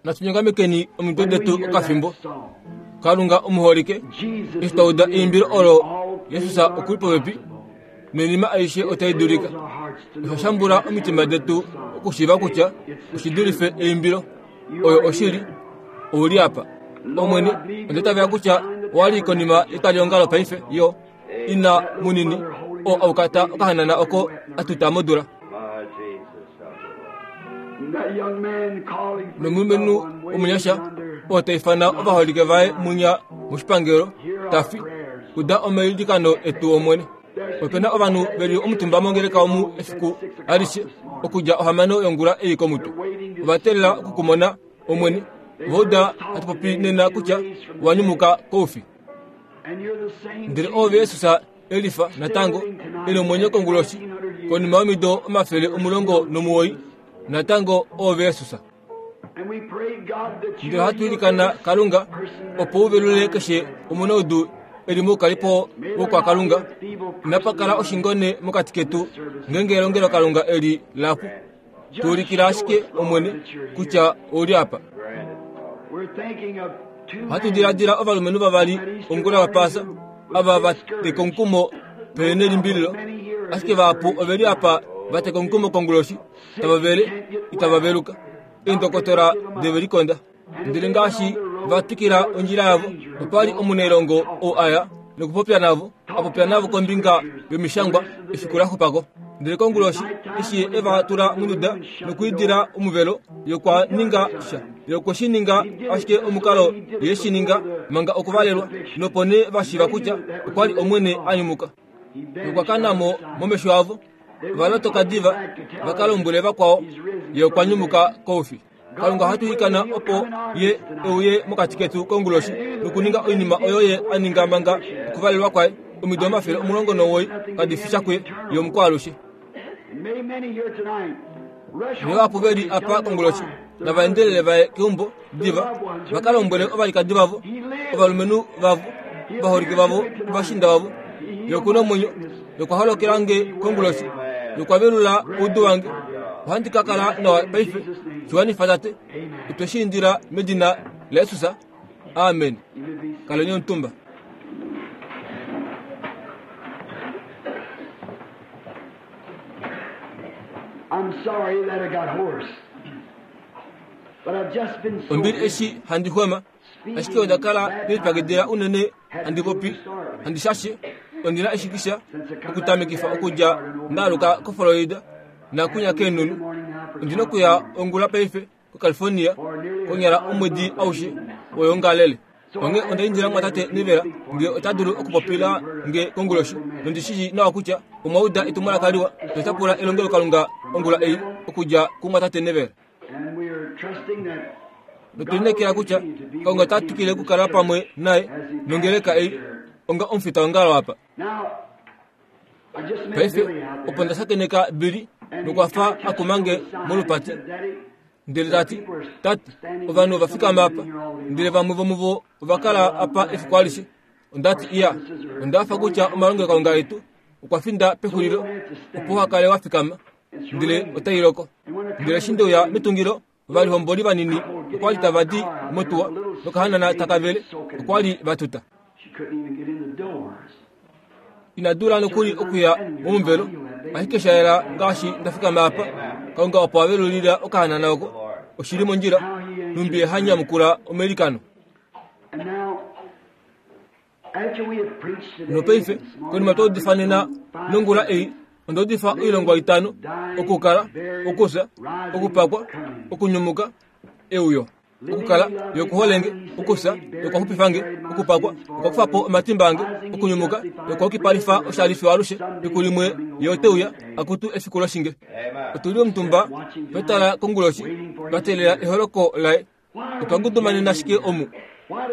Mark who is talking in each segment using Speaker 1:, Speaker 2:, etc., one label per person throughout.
Speaker 1: Natu nyongamekeni omitwe detu okafimbo. Kalunga omuholike, eshi twa uda eimbilo olo Jesus oku li popepi, noinima aishe otai dulika. Osha shambula omitima detu okushiiva kutya oshi dulife eimbilo. Oyo oshili, ou li apa. Omwene, onda itavela kutya owa li konima yetwaliongalo paife, yo ina munini oo aukata okahanana oko a tuta modula. Nomulumenhu omunyasha oo ta ifana ovaholike vaye munya moshipangelo ta fi, uda omailikano etu Omwene. Ope na ovanhu ve li omutumba mongeleka omu efiku alishe okudja ohamano yongula ei komutwe. Ova teelela oku ku mona, Omwene. Ova uda hatu popi nena kutya owa nyumuka koufi. Ndele oove Jesus Elifa natango e nomwenyo konguloshi konima yomido 190, natango oove Jesus. Ndele ohatu ilikana Kalunga opo u velule keshe omunaudu e li moukalipo wokwakalunga. Inapa kala oshingone mokati ketu ngeenge elongelokalunga eli la pu. Tu ulikila ashike, Omwene, kutya ou li apa. Ohatu diladila ovalumenhu vavali ongula yaPaasa ava va teka omukumo pele nelimbililo, ashike vahapu ove li apa va teka omukumo konguloshi, tava vele, itava veluka. Eendokotola deve likonda. Ndele ngaashi va twikila ondjila yavo, opa li omunailongo oo a ya nokupopya navo, a popya navo kombinga yomishangwa efiku la xupa ko. Ndele konguloshi, eshi ye e va tula monduda nokwiidila omuvelo, ye okwa ninga sha. Ye okwe shi ninga ashike omukalo ye e shi ninga manga okuvalelwa, nopo nee va shiiva kutya okwa li Omwene a nyumuka. Nokwa kana mo momesho avo. Ova lotoka diva va ka lombwele vakwao, ye okwa nyumuka koufi. Kalunga ohatu ilikana opo ye e uye mokati ketu konguloshi nokuninga oinima oyo ye a ninga manga okuvalelwa kwaye omido 190 kadi fi sha kuye, ye omukwaalushe. Nevahapu ve li apa konguloshi nava endelele va ye keumbo diva va ka lombwele ovalikadi vavo, ovalumenhu vavo, ovaholike vavo, ovashiinda vavo, Ye oku na omwenyo, Ye okwa holokela nge konguloshi, Ye okwa velula oudu wange. Ohandi ka kala nawa paife. Shi wanifa, Tate. Otwe shi indila medina laJesus. Amen. Kaleni omutumba.
Speaker 2: I'm sorry that I got hoarse. But I've just been so
Speaker 1: Ombili eshi handi xwema, ashike onda kala ndelipakidila unene handi popi, handi shashe, ondi na eshikisha okutamekifa okudja nda aluka koFlorida nakunya keenhunu. Ondi na okuya ongula paife koCalifornia konyala omwedi aushe woyoongalele. Onghee onda indila mumwatate Neville nge ota dulu okupopila nge konguloshi, nondi shii nawa kutya omwa uda etumwalaka liwa nota pula elongelokalunga ongula ei okudja kumumwatate Neville. Notwe lineekela kutya Kalunga ota twikile okukala pamwe naye nongeleka ei onga omufitaongalo apa. Paife opo nda shakeneka Billy nokwa fa a kuma nge molupati ndele ta ti, Tate, ovanhu ova fikama apa, ndele vamwe vomuvo ova kala apa efiku alishe. Onda ti, Iya, onda hafa kutya omalongelokalunga etu okwa finda pexulilo opo uha kale wa fikama, ndele otai loko. Ndele eshi nde uya metungilo, ovalihomboli vanini okwa li tava di motuwa nokahanana taka vele, okwa li va tuta. Ina dula nokuli okuya momuvelo, ashike sha yela ngaashi nda fikama apa, Kalunga opo a velulila okahanana oko. Oshi li mondjila, nhumbi ye ha nyamukula omailikano. Nopaife, konima twa udifa nena nongula ei, onda udifa oilongwa itano, okukala, okufya, okupakwa, okunyumuka, euyo. Okukala, Ye oku hole nge, okufya, Ye okwa xupifa nge, okupakwa, okwa kufa po omatimba ange, okunyumuka, Ye okwa yukipalifa oshali fiyo alushe, efiku limwe Ye ote uya, akutu efiku loshinge. Otu li omutumba twa tala konguloshi, twa teelela eholoko laye. Otwa ngudumanena ashike omu.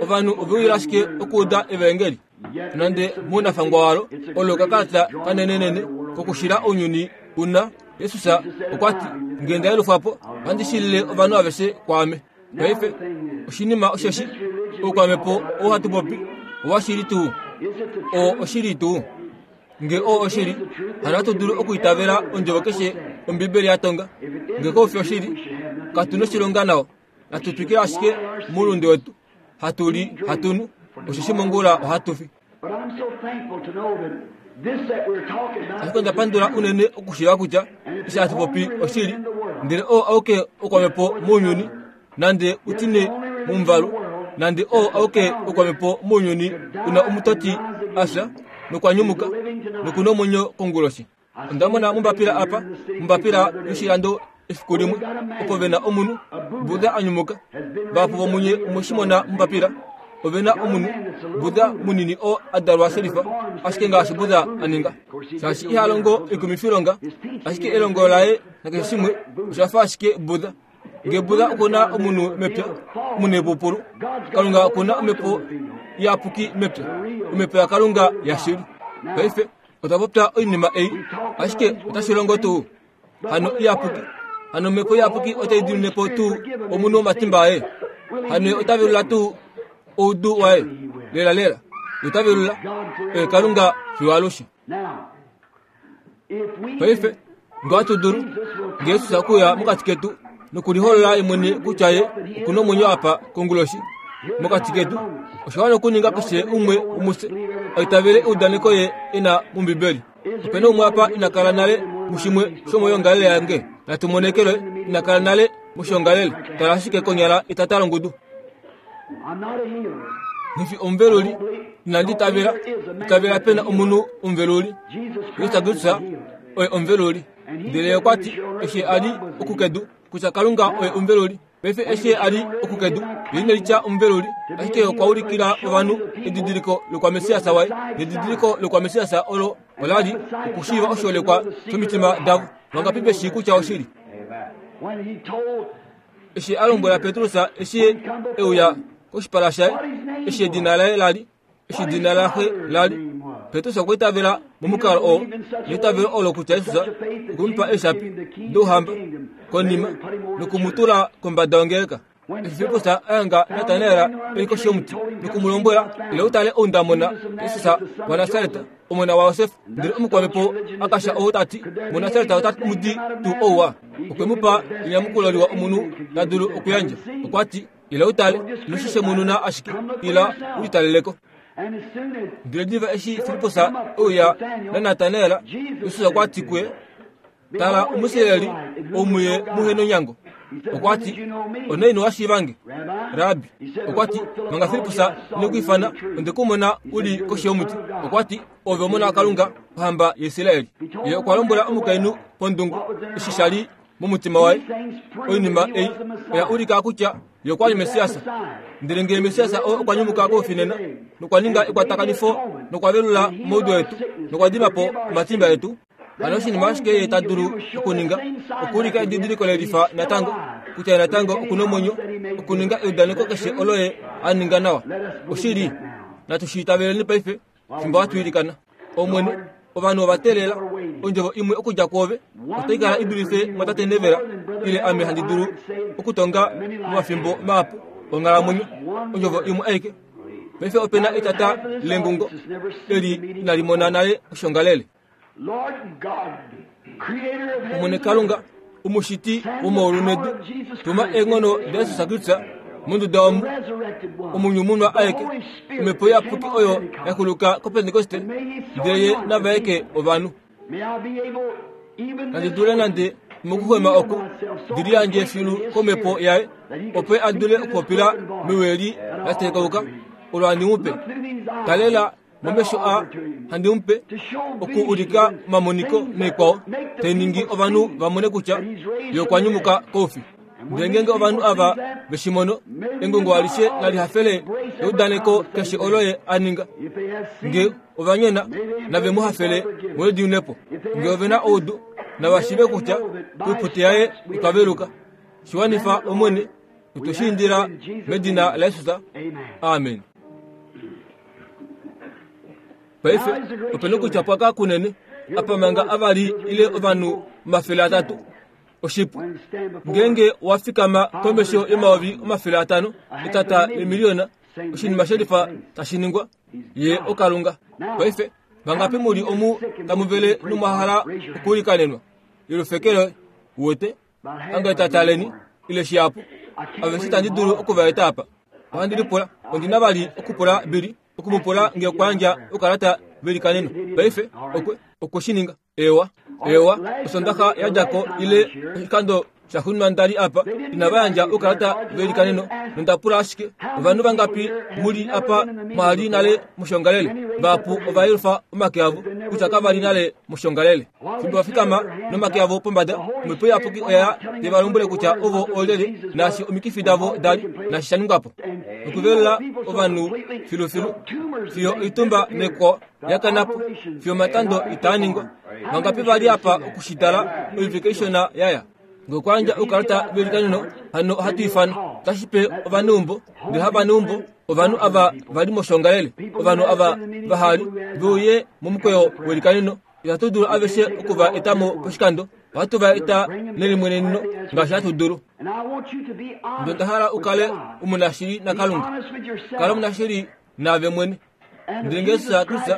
Speaker 1: Ovanhu ove uyila ashike okuuda evaengeli. Nonande mounafangwa walo, olo okakalata kanenenene kokushila ounyuni u na, Jesus okwa ti, Nge nda yelufwa po, ohandi shilile ovanhu aveshe kwaame. Paife, oshinima osheshi, oukwamhepo oo hatu popi, owashili tuu? Oo oshili tuu? Nge oo oshili, hano ohatu dulu okuitavela ondjovo keshe Ombibeli ya tonga. Nge kau fi oshili, katu noshilonga nao. Natu twikile ashike moulunde wetu, hatu li, hatu nu, osheshi mongula ohatu fi. Ashike onda pandula unene okushiiva kutya eshi hatu popi oshili, ndele oo auke okwamhepo mounyuni, nande utine momuvalu, nande oo auke okwamhepo mounyuni una omutoti a fya nokwa nyumuka noku nomwenyo konguloshi. Onda mona mombapila apa, mombapila yoshilando efiku limwe, opo ve na omunhu, Buddha a nyumuka. Vahapu vomunye omwe shi mona mombapila. Ove na omunhu, Buddha munini oo a dalwa shelifa, ashike ngaashi Buddha a ninga. Shaashi iha longo oikumifilonga, ashike elongo laye nakeshe shimwe osha fa ashike Buddha. Nge Buddha oku na omunhu mepya, omunhu epupulu, Kalunga oku na omhepo iyapuki mepya, omhepo yaKalunga yashili. Paife, Otwa popya oinima ei, ashike otashi longo tuu? Hano iyapuki. Hano omhepo iyapuki otai dimine po tuu omunhu omatimba aye? Hano ye ota velula tuu oudu waye? Lela lela, ye ota velula. Oye Kalunga fiyo alushe. Paife, nge ohatu dulu, nge Jesus okuya mokati ketu nokuliholola ye mwene kutya ye oku na omwenyo apa konguloshi mokati ketu, osha wana okuninga keshe umwe womufye a itavele eudaneko ye e na mOmbibeli. Ope na umwe apa ina kala nale mushimwe shomoyoongalele yange? Natu monekelwe ina kala nale moshiongalele. Tala ashike konyala etata longudu. Nghi fi omuveluli, inandi itavela, itavela pe na omunhu omuveluli. Jesus Kristus oye omuveluli. Ndele ye okwa ti, eshi a li okukedu, kutya Kalunga oye omuveluli. Paife eshi a li okukedu, ye ine litya omuveluli, ashike okwa ulikila ovanhu edidiliko lokwamessias waye. Nedidiliko lokwamessias olo ola li okushiiva oshiholekwa shomitima davo. Vangapi ve shii kutya oshili? Eshi a lombwela Petrus eshi e uya koshipala shaye, eshi edina laye la li, eshi edina laxe la li, Petrus okwa itavela momukalo oo, neitavelo olo kutya Jesus okwe mu pa eeshapi douhamba konima noku mu tula kombada yongeleka. Eshi Filippus a hanga Natanael e li koshi yomuti noku mu lombwela, Ila u tale ou nda mona, Jesus waNasaret, omona waJosef. Ndele omukwamhepo a kasha ou ta ti, MuNasaret otamu di tuu ouwa? Okwe mu pa enyamukulo liwa omunhu ta dulu okuyandja. Okwa ti, Ila u tale, ino shi shemununa ashike, ila u litalele ko. Ndele diva eshi Filippus e uya naNatanael, Jesus okwa ti kuye, Tala Omuisraeli ou muye muhe nonyango. Okwa ti, Onaini wa shiiva nge, Rabbi? Okwa ti, Manga Filippus ine ku ifana, onde ku mona u li koshi yomuti. Okwa ti, Ove omona waKalunga, ohamba yaIsraeli. Ye okwa lombwela omukainhu pondungu eshi sha li momutima waye. Oinima ei oya ulika kutya ye okwa li Messias. Ndele ngee Messias oo okwa nyumuka koufi nena, nokwa ninga ekwatakanifo nokwa velula omaudu etu, nokwa dima po omatimba etu, hano oshinima ashike ye ta dulu okuninga okuulika edidiliko le lifa natango kutya ye natango oku na omwenyo, okuninga eudaneko keshe olo ye a ninga nawa. Oshili, natu shi itaveleni paife fimbo hatu ilikana. Omwene, ovanhu ova teelela ondjovo imwe okudja kwoove, otai kala i dulife mwatate Nevela ile ame handi dulu okutonga momafimbo mahapu onghalamwenyo, ondjovo imwe aike. Paife ope na etata lengungo eli inali mona nale oshongalele. Omwene Kalunga, omushiti womaulu nedu, tuma eenghono daJesus Kristus monduda omu, omunyumunwa aeke, Omhepo Iyapuki oyo ya kuluka kOpentekoste, ndele Ye na vaeke ovanhu. Nandi dule nande mokuxwema oku, ndi liyandje filu komhepo yaye, opo a dule okupopila mewi eli la tekauka, olo handi mu pe. Talela momesho a handi mu pe oku ulika omamoniko naikwao tai ningi ovanhu va mone kutya ye okwa nyumuka koufi. Ndele ngeenge ovanhu ava ve shi mono, engungo alishe nali hafele eudaneko keshe olo ye a ninga. Nge ova nyona, nave mu hafele molwediunepo. Nge ove na oudu, nava shiive kutya koipute yaye otwa veluka. Shi wanifa, Omwene, otwe shi indila medina laJesus. Amen. Paife ope nokutya pwaka kunene apa manga avali ile ovanhu 300 oshipu ngeenge wa fikama komesho yomayovi 500 etata lemiliyona oshinima shelifa tashi ningwa ye okalunga paife. Vangapi mu li omu tamu vele nomwa hala okuilikanenwa? Yelufekelo, uwete? Ange tataleni, ile shihapu. Aveshe itandi dulu oku va eta apa. Ohandi lipula, ondi na vali okupula Billy, oku mu pula nge okwa yandja okalata veilikaneno. Paife, okwe, okwe shi ninga. Eewa, eewa, Osondaxa ya dja ko ile oshikando shaxuuninwa nda li apa, inava yandja oukalata veilikaneno, nonda pula ashike, Ovanhu vangapi mu li apa mwa li nale moshiongalele? Vahapu ova yelufa omake avo, kutya kava li nale moshiongalele. Fimbo va fikama nomake avo pombada, Omhepo Iyapuki oya ya te va lombwele kutya ovo oolyelye, naashi omikifi davo da li, naashi sha ningwa po. Nokuvelula ovanhu filufilu, fiyo oitumba nekwao ya kana po fiyo omatando itaa ningwa. Vangapi va li apa oku shi tala oivike ishona ya ya? Nge okwa yandja oukalata veilikaneno, hano ohatu ifana. Otashi pe ovaneumbo, ndele havaneumbo, ovanhu ava va li moshongalele, ovanhu ava vaha li, ve uye momukweyo weilikaneno. Itatu dulu aveshe oku va eta mo poshikando, ohatu va eta nelimweneneno ngaashi hatu dulu. Ndele onda hala u kale omunashili naKalunga. Kala omunashili naave mwene. Ndele Jesus Kristus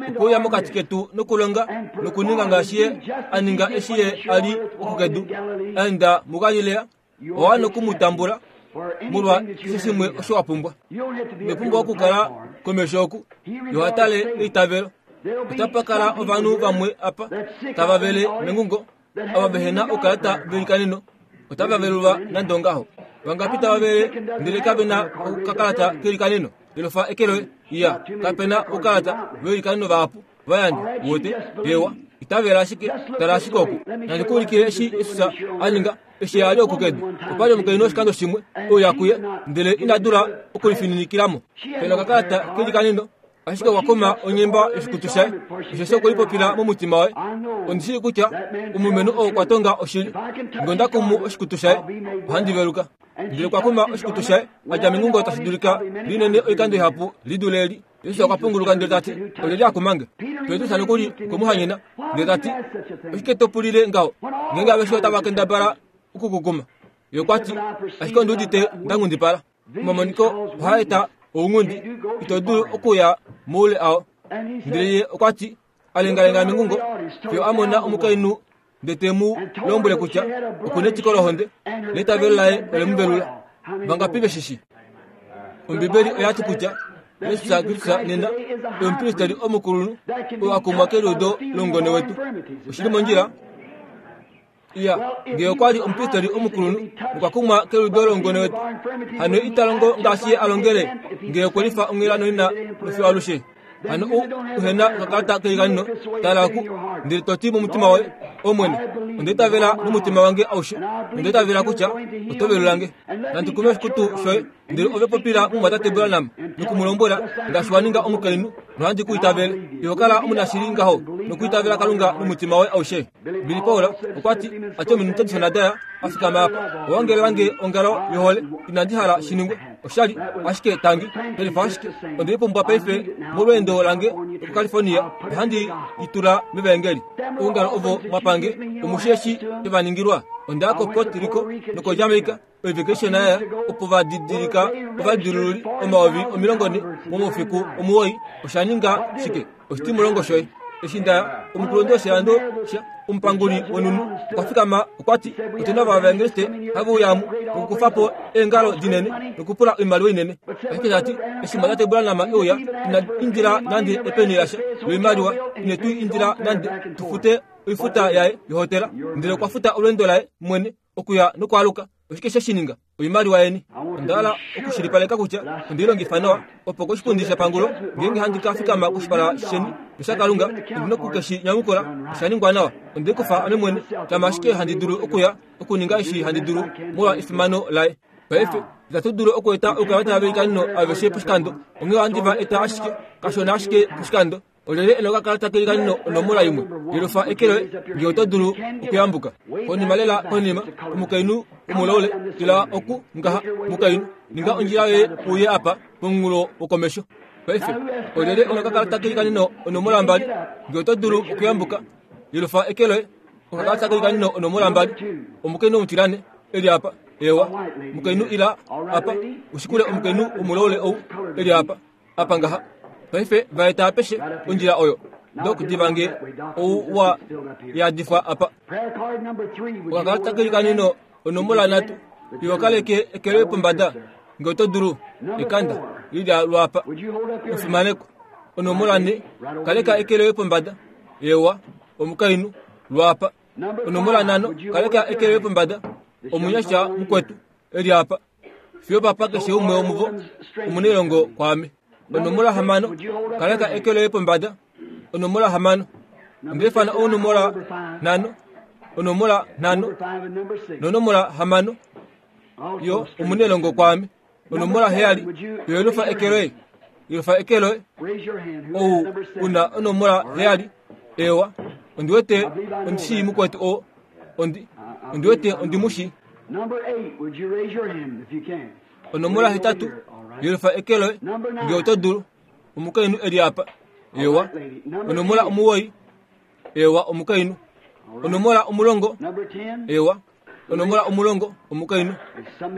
Speaker 1: okwe uya mokati ketu nokulonga nokuninga ngaashi Ye a ninga eshi Ye a li oku kedu, a enda muGalilea, owa wana oku mu tambula molwa keshe shimwe osho wa pumbwa. Ino pumbwa okukala komesho oku, ye oha tale eitavelo. Otapa kala ovanhu vamwe apa tava vele mengungo ava vehe na oukalata velikaneno otava velulwa nande ongaho. Vangapi tava vele ndele kave na okakalata kelikaneno? Elofa eke loye. Iya, kape na oukalata velikaneno vahapu va yandjwa. Uwete? Eewa, itavela ashike, tala ashike oku. Nandi ku ulikile eshi Jesus a ninga eshi a li oku kedu. Opa li omukainhu oshikando shimwe e uya kuye, ndele ina dula okulifininikila mo. Pe na okakalata kelikaneno Ashike okwa kuma onyemba yoshikutu shaye, osheshi okwe lipopila momutima waye, Ondi shii kutya omulumenhu oo okwa tonga oshili. Nge onda kumu oshikutu shaye, ohandi veluka. Ndele okwa kuma oshikutu shaye, a dja mengungo tashi dulika linene oikando ihapu li dule eli. Jesus okwa punguluka ndele ta ti, Olyelye a kuma nge? Petrus nokuli okwe mu hanyena, ndele ta ti, Oshike to pulile ngaho, ngeenge aveshe otava kendabala oku ku kuma? Ye okwa ti, Ashike ondi udite nda nghundipala. Omamoniko ohaa eta ounghundi, ito dulu okuya moule ao. Ndele ye okwa ti, a lengalenga mengungo fiyo a mona omukainhu ndele te mu lombwele kutya oku netiko lohonde, neitavelo laye ole mu velula. Vangapi ve shi shii? Ombibeli oya ti kutya Jesus Kristus nena omupristeri omukulunhu oo a kumwa keliudo lomungone wetu. Oshi li mondjila? Iya, ngee okwa li omupristeri omukulunhu nokwa kumwa keliudo lomungone wetu, hano ita longo ngaashi ye a longele ngee okwe lifa onghela noina nofiyo alushe. Hano u uhe na okakalata keilikano, tala oku, ndele to ti momutima woye, Omwene, onda itavela nomutima wange aushe, onda itavela kutya oto velula nge. Nandi kume oshikutu shoye. Ndele ove popila mumwatate Branham noku mu lombwela ngaashi wa ninga omukainhu, nohandi ku itavele. Iho kala omunashili ngaho nokwiitavela Kalunga nomutima woye aushe. Billy Paul okwa ti, a ti ominute dishona daya, a fikama apa. Owa ongelela nge ongalo yohole, inandi hala shi ningwe. Oshali, ashike tangi, pelifa ashike. Onde i pumbwa paife molweendo lange lokuCalifornia, ohandi i tula mEvaengeli. Oungalo ovo mwa pange, omu shi eshi twe va ningilwa? Onda ya koPuerto Rico nokoJamaica, oivike ishona ya opo va didilika ovadilululi 40,000 momaufiku omuwoi. Osha ninga shike? Oshitimulongo shoye. Eshi nda ya, omukulunhu woshilando sha omupanguli wonhunhu okwa fikama okwa ti, Otu na ovaevangeliste have uya omu nokukufa po eengalo dinene nokupula oimaliwa inene. Ashike ta ti, eshi mwatate Branham e uya, ina indila nande epeni lasha loimaliwa, ine tu indila nande tu fute oifuta yaye yohotela, ndele okwa futa olweendo laye mwene okuya nokwaaluka. Oshike she shi ninga? Oimaliwa yeni. Onda hala okushilipaleka kutya onde i longifa nawa, opo koshipundi shepangulo, ngeenge handi ka fikama koshipala sheni noshaKalunga, ondi na oku ke shi nyamukula. Osha ningwa nawa. Onde i kufa ame mwene, shama ashike handi dulu okuya, okuninga eshi handi dulu molwa efimano laye. Paife, itatu dulu okueta oukalata veilikaneno aveshe poshikando, onghee ohandi va eta ashike kashona ashike poshikando. Olyelye e na okakalata keilikano onomola imwe? Yelufa eke loye ngee oto dulu okuyambuka. Konima lela konima, omukainhu womulaule, tila oku ngaha, mukainhu, ninga ondjila yoye uye apa pomunghulo wokomesho. Paife, olyelye e na okakalata keilikano onomola mbali? Ngee oto dulu okuyambuka, yelufa eke loye. Okakalata keilikano onomola mbali, omukainhu omutilane e li apa. Eewa, mukainhu ila apa, ushikule omukainhu womulaule ou e li apa. Apa ngaha. Paife va eta apeshe ondjila oyo. Dok diva nge ou wa yadifwa apa. Okakalata kelikanino onomola nhatu iwe kaleke eke loye pombada nge oto dulu. Ekanda lilya lwapa. Omufimanekwa. Onomola nhe kaleka eke loye pombada. Ewa, omukainhu, lwapa. Onomola nhano kaleka eke loye pombada. Omunyasha mukwetu, e li apa. Fiyo papa keshe umwe womuvo omunailongo kwaame. Onomola hamano, kaleka eke loye pombada. Onomola hamano. Onda ifana onomola nhano, onomola nhano, nonomola hamano. Yo omunailongo kwaame. Onomola heyali, yo yelufa eke loye. Yelufa eke loye. Ou una onomola heyali. Ewa, ondi wete ondi shii mukwetu oo. Ondi, ondi wete ondi mu shii. Onomola hetatu, yelufa eke loye, nge oto dulu. Omukainhu e li apa. Ewa. Onomola omuwoi. Ewa, omukainhu. Onomola omulongo. Ewa. Onomola omulongo, omukainhu.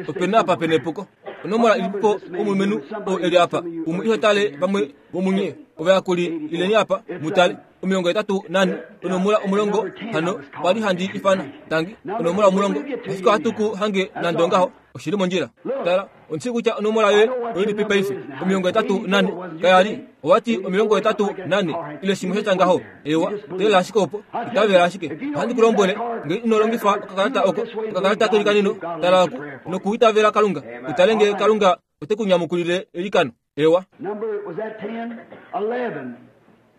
Speaker 1: Ope na apa pe na epuko. Onomola ilipipo omulumenhu oo e li apa? Umwe iho tale vamwe vomunye ovayakuli ileni apa mu tale. 84 onomola omulongo hano kwa li handi ifana tangi onomola omulongo ashike ohatu ku hange nande ongaho oshi li mondjila tala ondi shii kutya onomola yoye oilipi paife 84 kaya li owa ti 84 ile shimwe sha tya ngaho ewa teelela ashike opo itavela ashike ohandi ku lombwele nge ino longifa okakalata oko okakalata kelikanino tala oku nokuitavela kalunga utale nge kalunga ote ku nyamukulile eilikano Ewa.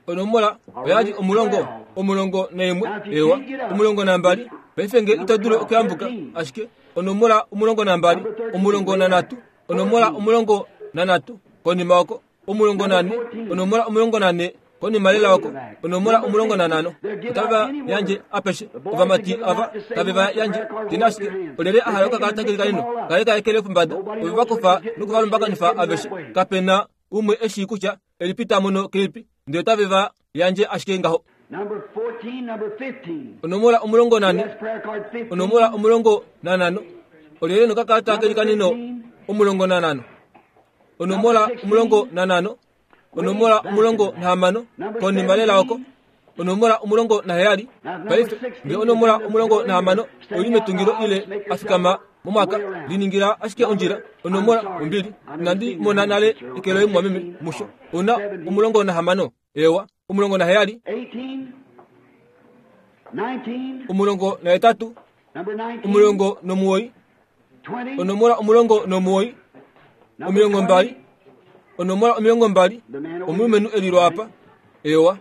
Speaker 1: Onomola oya li omulongo, omulongo naimwe, ewa, omulongo nambali. Paife nge ito dulu okuyambuka, ashike onomola omulongo nambali, omulongo nanhatu, onomola omulongo nanhatu, konima oko, omulongo nanhe, onomola omulongo nanhe, konima lela oko, onomola omulongo nanhano. Otava yandje apeshe, ovamati ava tave va yandje. Tena ashike, olyelye a hala okakalata kelikanino? Kaleka eke loye pombada. Ove va kufa noku va lumbakanifa aveshe. Kape na umwe e shii kutya elipi ta mono kelipi, ndele otave va yandje ashike ngaho. Onomola omulongo nanhe, onomola omulongo nanhano, olyelye nokakalata kelikanino omulongo nanhano? Onomola omulongo nanhano, onomola omulongo nahamano konima lela oko onomola omulongo naheyali paife nge onomola omulongo nahamano oi li metungilo ile a fikama momwaka liningila ashike ondjila onomola ombili inandi mona nale eke loye mumwameme musho una omulongo nahamano ewa omulongo naheyali omulongo nahetatu omulongo nomuwoi onomola omulongo nomuwoi omilongo mbali onomola omilongo mbali omulumenhu e lilwa apa ewa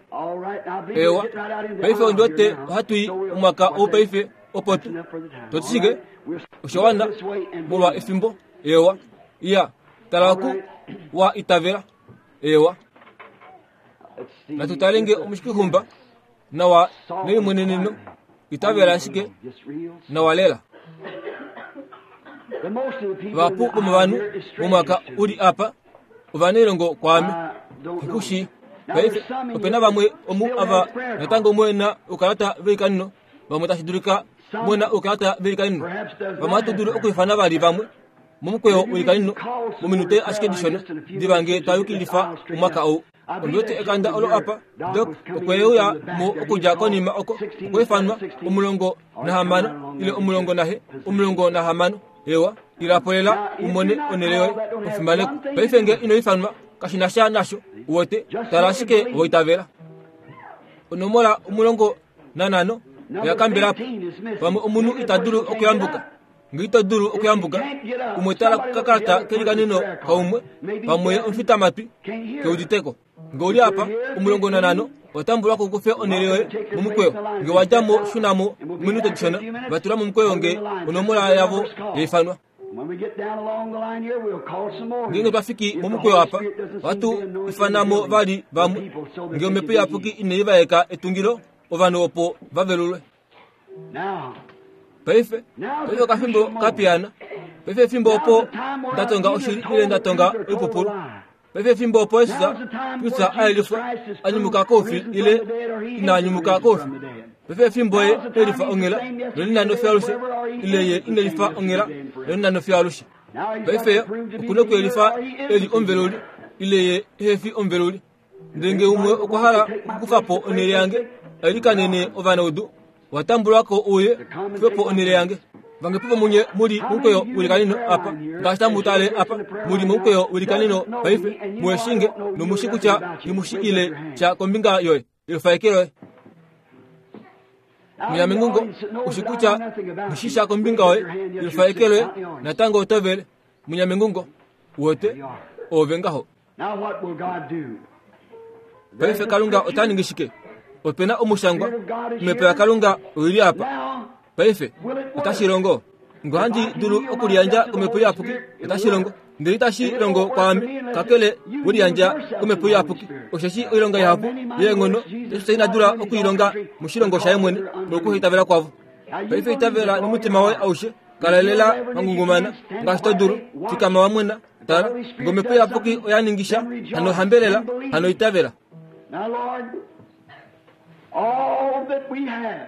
Speaker 1: ewa paife ondi wete ohatu i omwaka ou paife opo tu toti shike osha wana molwa efimbo ewa iya tala oku wa itavela ewa natu tale nge omushikihumba nawa nelimweneneno itavela ashike nawa lela vahapu vomovanhu momwaka u li apa ovanailongo kwaame ku shii paife ope na vamwe omu ava natango mwe na oukalata veikanino vamwe tashi dulika mwe na oukalata veikanino vamwe ohatu dulu okwiifana vali vamwe momukweyo weikanino mominute ashike dishona diva nge twa yukilifa omwaka ou Ondi wete ekanda olo apa, Doc okwe uya mo okudja konima oko, okwa ifanwa omulongo nahamano ile omulongo nahe, omulongo nahamano. Ewa, ila po lela u mone onhele yoye, omufimanekwa. Paife nge ino ifanwa, kashi na sha nasho, uwete, tala ashike wa itavela. Onomola omulongo nanhano oya kambela po. Pamwe omunhu ita dulu okuyambuka. Nge ito dulu okuyambuka, umwe tala kokakalata kelikanino kaumwe, pamwe omufitamatwi ke udite ko. Nge u li apa, omulongo nanhano, owa tambulwa ko kufe onhele yoye momukweyo. Nge wa dja mo, shuna mo mominute dishona, va tula momukweyo nge onomola yavo ya ifanwa. Ngeenge twa fiki momukweyo apa, ohatu ifana mo vali vamwe. Nge Omhepo Iyapuki inai vaeka etungilo, ovanhu opo va velulwe. Paife, paife okafimbo ka piyaana. Paife efimbo opo nda tonga oshili ile nda tonga oipupulu. Paife efimbo opo Jesus Kristus a yelifwa a nyumuka koufi ile ina nyumuka koufi. Paife efimbo ye e lifa onghela nonena nofiyo alushe ile ye ine lifa onghela nonena nofiyo alushe. Paife oku na okuyelifa e li omuveluli ile ye ehe fi omuveluli. Ndele nge umwe okwa hala okukufa po onhele yange, ailikanene ovanaudu, owa tambulwa ko uye kufe po onhele yange. Vange vomunye mu li momukweyo welikanino apa, ngaashi tamu tale apa, mu li momukweyo welikanino paife, mu shi nge nomu shi kutya nghi mu shi ile sha kombinga yoye, yofaeke loye. Munyamengungo, u shi kutya nghi shi sha kombinga yoye, yofaeke loye, natango oto vele. Munyamengungo, wote, oove ngaho. Paife Kalunga ota ningi shike? Ope na omushangwa, Omhepo yaKalunga oi li apa. Paife otashi longo. Ngo handi dulu okuliyandja kOmhepo Iyapuki, otashi longo. Ndele itashi longo kwaame, kakele we liyandja kOmhepo Iyapuki. Osheshi oilonga ihapu yeenghono Jesus ina dula oku i longa moshilongo shaye mwene molwokuhaitavela kwavo. Paife itavela nomutima woye aushe, kala lela wa ngungumana ngaashi to dulu, fikama wa mwena. Tala, ngOmhepo Iyapuki oya ningi sha, hano hambelela, hano itavela.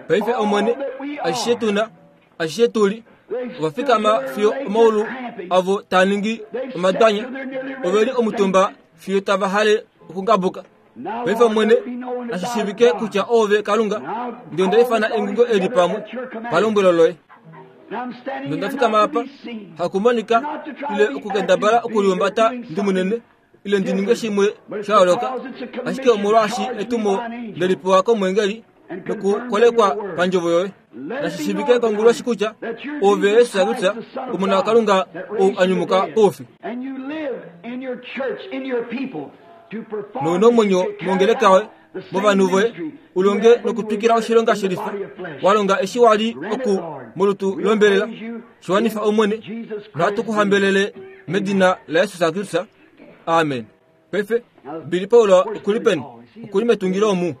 Speaker 1: Paife Omwene, ashishe tu na, ashishe tu li, ova fikama fiyo omaulu avo taa ningi omadwanya, ove li omutumba fiyo tava hale okungabuka. Paife Omwene, nashi shiivike kutya Oove Kalunga, ndele onda ifana engungo eli pamwe palombwelo loye. Nonda fikama apa, hakumonika ile okukendabala okulihumbata ndi munene ile ndi ninge shimwe sha yooloka, ashike omolwaashi etumo nde li pewa komweengeli nokukolekwa pandjovo yoye. Nashi shiivike konguloshi kutya Oove Jesus Kristus, Omona waKalunga ou a nyumuka koufi. Nou na omwenyo mongeleka yoye movanhu voye u longe nokutwikila oshilonga shelifa wa longa eshi wa li oku molutu lombelela. Shi wanifa Omwene, nohatu ku hambelele medina laJesus Kristus. Amen. Paife, Billy Paul oku li peni? Oku li metungilo omu.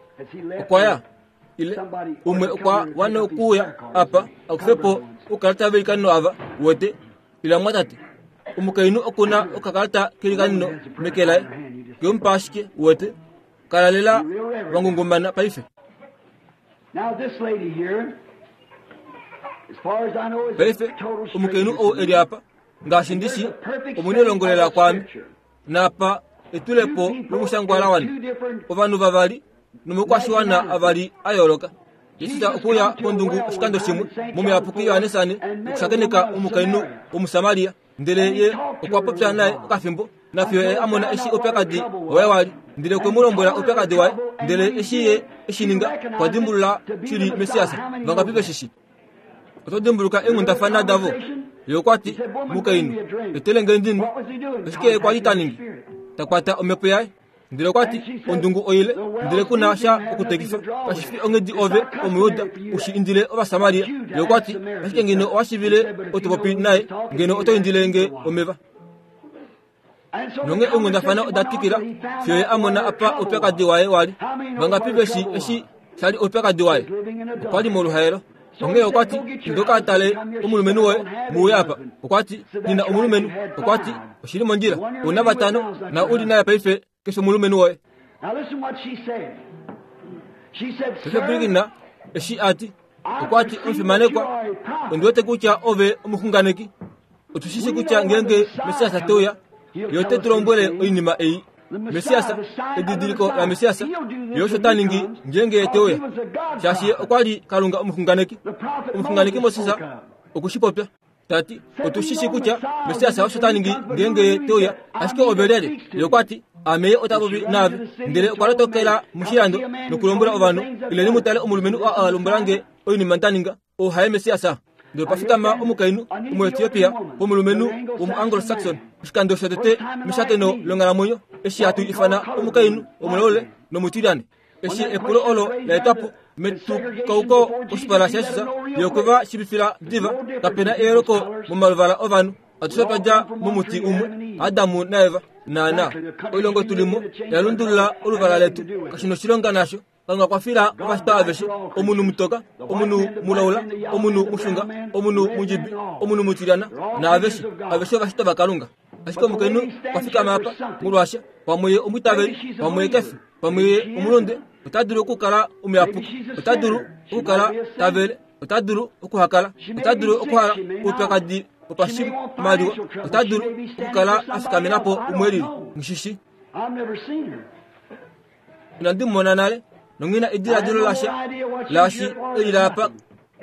Speaker 1: Okwa ya. Ile umwe okwa wana okuuya apa a kufe po oukalata veilikaneno ava, wete. Ila mwatate. Omukainhu oku na okakalata keilikaneno meke laye. Ke mu pa ashike, wete. Kala lela wa ngungumana paife. Paife, omukainhu ou e li apa, ngaashi ndi shi, omunelongo lela kwaame. Napa etulepo lomushangwa la wana. Ovanhu vavali nomaukwashiwana avali a yooloka. Jesus okwe uya pondungu oshikando shimwe momuyapuki Johannes nokushakeneka omukainhu Omusamaria, ndele ye okwa popya naye okafimbo, nafiyo ye a mona eshi oupyakadi waye wa li, ndele okwe mu lombwela oupyakadi waye, ndele eshi ye e shi ninga, okwa dimbulula shili Messias. Vangapi ve shi shi? Oto dimbuluka eenghundafana davo? Ye okwa ti, Mukainhu, etele nge ndi nwe. Oshike ye kwa li ta ningi? Ta kwata omhepo yaye. Ndele okwa ti, Ondungu oile, ndele ku na sha okutekifa. Kashi fi onghedi ove, Omuyuda, u shi indile Ovasamaria. Ye okwa ti, Ashike ngeno owa shivile oto popi naye, ngeno oto indile nge omeva. Nonghee eenghundafana oda twikila fiyo ye a mona apa oupyakadi waye wa li. Vangapi ve shi eshi sha li oupyakadi waye? Okwa li moluhaelo. Onghee okwa ti, Inda ka tale omulumenhu woye, mu uye apa. Okwa ti, Nghi na omulumenhu. Okwa ti, Oshi li mondjila. Ou na vatano, na u li naye paife, keshe omulumenhu woye. Paife pwilikina eshi a ti. Okwa ti, Omufimanekwa, ondi wete kutya ove omuxunganeki. Otu shi shii kutya ngeenge Messias te uya, Ye ote tu lombwele oinima ei. Messias, edidiliko laMessias, Ye osho ta ningi ngeenge Ye te uya, shaashi Ye okwa li Kalunga omuxunganeki. Omuxunganeki Moses oku shi popya, ta ti, Otu shi shii kutya Messias osho ta ningi ngeenge Ye te uya, ashike ove lyelye? Ye okwa ti, Ame Ye ota popi naave. Ndele okwa lotokela moshilando nokulombwela ovanhu, Ileni mu tale omulumenhu oo a lombwela nge oinima nda ninga. Ou haye Messias? Ndele opa fikama omukainhu Omuetiopia womulumenhu womuAnglo-Saxon, oshikando shotete meshakeno longhalamwenyo eshi hatu ifana omukainhu womulaule nomutilyane. Eshi epulo olo la etwa po metukauko koshipala shaJesus, ye okwe va shiivifila diva, Kape na eyooloko momaluvala ovanhu, atushe otwa dja momuti umwe, Adam naEva. Naanaa, oilongo tu li mo oya lundulula oluvala letu, kashi noshilonga nasho. Kalunga okwa fila ovashitwa aveshe, omunhu mutoka, omunhu mulaula, omunhu mushunga, omunhu mundjibi, omunhu mutilyana, naaveshe, aveshe ovashitwa vaKalunga. Ashike omukainhu okwa fikama apa, molwaasha, pamwe ye omwiitaveli, pamwe ye kefi, pamwe ye omulunde, ota dulu okukala omuyapuki, ota dulu okukala ta vele, ota dulu okuhakala, ota dulu okuhala oupyakadi wopashimaliwa, ota dulu okukala a fikamena po umwe lili. Nghi shi shii. Inandi mu mona nale, nonghi na ediladilo lasha laashi e lile apa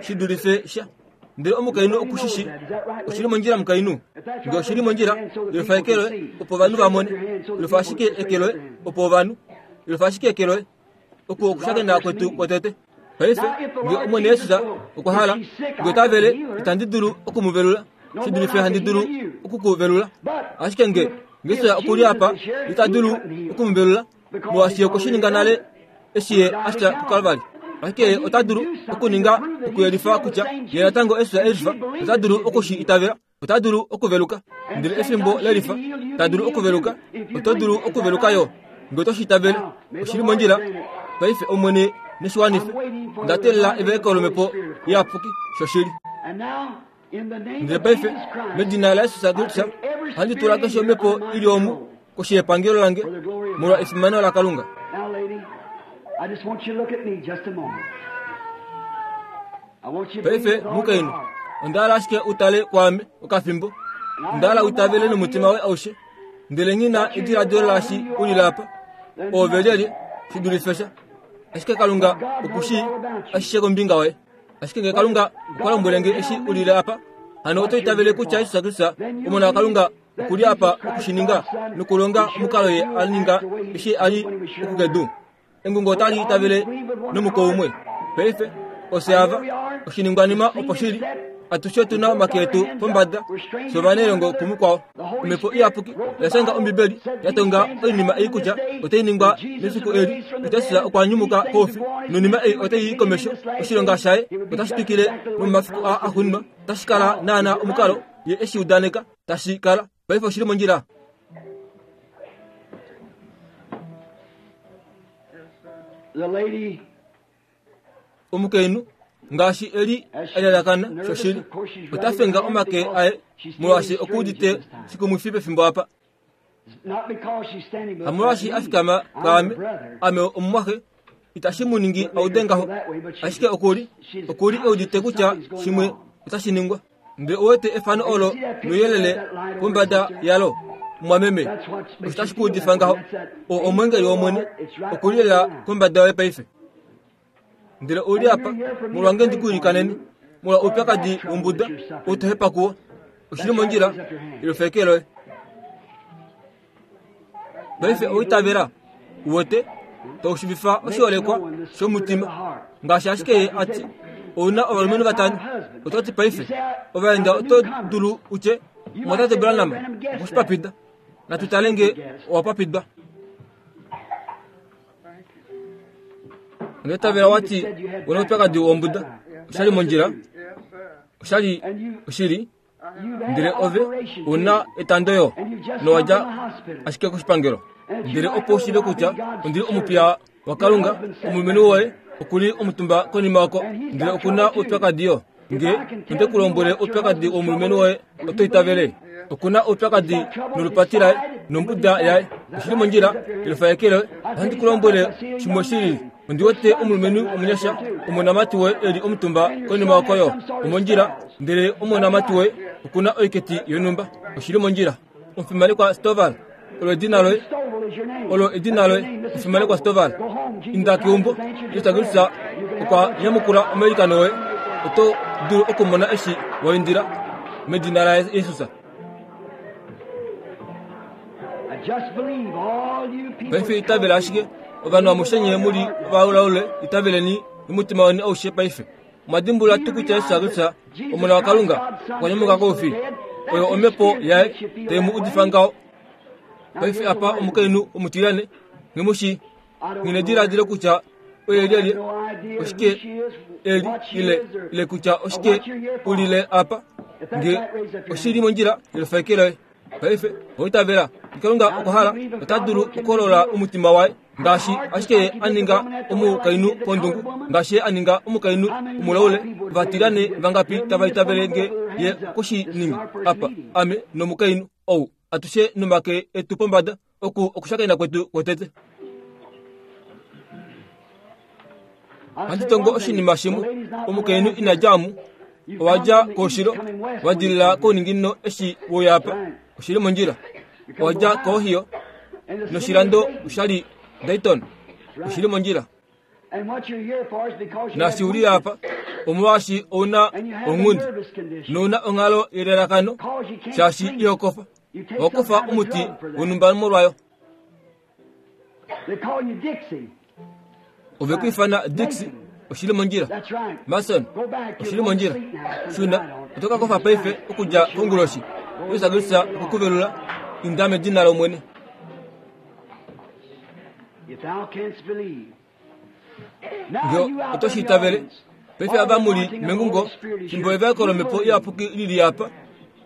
Speaker 1: shi dulife sha. Ndele omukainhu oku shi shii. Oshi li mondjila mukainhu? Nge oshi li mondjila, yelufa eke loye opo ovanhu va mone. Yelufa ashike eke loye opo ovanhu. Yelufa ashike eke loye. Oku okushakena kwetu kwotete. Paife, nge Omwene Jesus okwa hala, nge ota vele, itandi dulu oku mu velula, shi dulife handi dulu oku ku velula. Ashike nge Jesus oku li apa, ita dulu oku mu velula, molwaashi ye okwe shi ninga nale eshi ye a fya kuKalvari. Ashike ye ota dulu okuninga okuyelifa kutya ye natango Jesus e lifa, ota dulu oku shi itavela, ota dulu okuveluka. Ndele efimbo lelifa, ta dulu okuveluka, oto dulu okuveluka yo, nge oto shi itavele. Oshi li mondjila. Paife Omwene neshi wanife. Onda teelela eveleko lOmhepo Iyapuki, shoshili. Ndele paife, medina laJesus Kristus, ohandi tula keshe omhepo i li omu koshi yepangelo lange molwa efimano laKalunga. Paife, mukainhu, onda hala ashike u tale kwaame okafimbo. Onda hala u itavele nomutima woye aushe. Ndele nghi na ediladilo laashi u lile apa. Oove lyelye, shi dulife sha. Ashike Kalunga oku shii ashishe kombinga yoye. Ashike ngee Kalunga okwa lombwele nge eshi u lile apa, hano oto itavele kutya Jesus Kristus, Omona waKalunga, oku li apa oku shi ninga nokulonga omukalo ye a ninga eshi a li oku kedu? Engungo otali itavele nomuko umwe. Paife, ofye ava, oshiningwanima opo shi li. Atushe otu na omake etu pombada, fye ovanailongo kumukwao. Omhepo Iyapuki oya shanga Ombibeli, ya tonga oinima ei kutya otai ningwa mefiku eli, kutya Jesus okwa nyumuka koufi, noinima ei otai i komesho, oshilonga shaye otashi twikile nomomafiku aa axuuninwa, otashi kala naanaa omukalo ye e shi udaneka tashi kala. Paife oshi li mondjila.
Speaker 2: The lady
Speaker 1: Omukainhu ngaashi e li a lalakana shoshili, ota fenga omake aye molwaashi oku udite shikumwifi pefimbo apa.
Speaker 2: not because she's standing but
Speaker 1: Hamolwaashi a fikama
Speaker 2: I'm
Speaker 1: kwaame,
Speaker 2: her brother.
Speaker 1: ame omumwaxe, itashi mu ningi a ude ngaho. Ashike oku li, oku li e udite kutya shimwe otashi ningwa. Ndele ou wete efano olo nouyelele pombada yalo, mumwameme,
Speaker 2: That's what
Speaker 1: osho
Speaker 2: makes you
Speaker 1: tashi ku
Speaker 2: feel
Speaker 1: udifa
Speaker 2: that way.
Speaker 1: ngaho.
Speaker 2: That's that
Speaker 1: Oo omweengeli wOmwene, oku li lela kombada yoye paife. Ndele ou li apa, molwange ndi ku ilikanene, molwa oupyakadi wombuda ou to hepa kuwo. Oshi li mondjila, elufa eke loye. Paife owa itavela? U wete? Tau shivifa oshiholekwa shomutima. Ngaashi ashike ye a ti, Ou na ovalumenhu vatano. Oto ti paife, ovaenda oto dulu u tye, Omwatate Branham okwe shi papida. Natu tale nge owa papidwa. Onda itavela wa ti u na oupyakadi wombuda. Osha li mondjila? Osha li oshili? Ndele ove u na etando yo, nowa dja ashike koshipangelo. Ndele opo u shiive kutya ondi li omupiya waKalunga, omulumenhu woye oku li omutumba konima oko, ndele oku na oupyakadi yo. Nge onde ku lombwele oupyakadi womulumenhu woye, oto itavele? Oku na oupyakadi nolupati laye nombuda yaye. Oshi li mondjila, elufa eke loye. Ohandi ku lombwele shimwe shi lili. Ondi wete omulumenhu omunyasha, omonamati woye e li omutumba konima oko yo, omondjila, ndele omonamati woye oku na oiketi yonhumba. Oshi li mondjila. Omufimanekwa Stovall, olo edina loye. Olo edina loye, omufimanekwa Stovall. Inda keumbo, Jesus Kristus okwa nyamukula omailikano oye. Oto dulu okumona eshi wa indila medina laJesus. Paife itavela ashike ovanhu amushe nye mu li ovaulaule, itaveleni nomutima weni aushe paife. Omwa dimbulula tuu kutya Jesus Kristus, Omona waKalunga, okwa nyumuka koufi? Oyo omhepo yaye tai mu udifa ngaho. Paife apa omukainhu omutilyane, nghi mu shii. Nghi nediladilo kutya oye lyelye, oshike e li, ile, ile kutya oshike u lile apa. Nge oshi li mondjila, yelufa eke loye. Paife, owa itavela? Kalunga okwa hala, ota dulu okuholola omutima waye ngaashi ashike ye a ninga omukainhu pondungu, ngaashi ye a ninga omukainhu omulaule. Ovatilane vangapi tava itavele nge ye okwe shi ninga apa, ame nomukainhu ou, atushe nomake etu pombada, oku okushakena kwetu kwotete? Ohandi tongo oshinima shimwe. Omukainhu ina dja omu, owa dja koushilo, wa dilila kouninginino eshi we uya apa. Oshi li mondjila. Owa dja koOhio, noshilando osha li Dayton. Oshili mondjila. Naashi u li apa, omolwaashi ou na ounghundi nou na onghalo yelalakano, shaashi iho kofa. Oho kufa omuti wonhumba molwayo. Ove ku ifana Dixie, oshili mondjila. Mason, oshili mondjila. Shuna, oto ka kofa paife okudja konguloshi. Jesus Kristus okwe ku velula, inda medina lOmwene. Nge oto shi itavele, paife ava mu li mengungo, fimbo evaeko lOmhepo Iyapuki li li apa,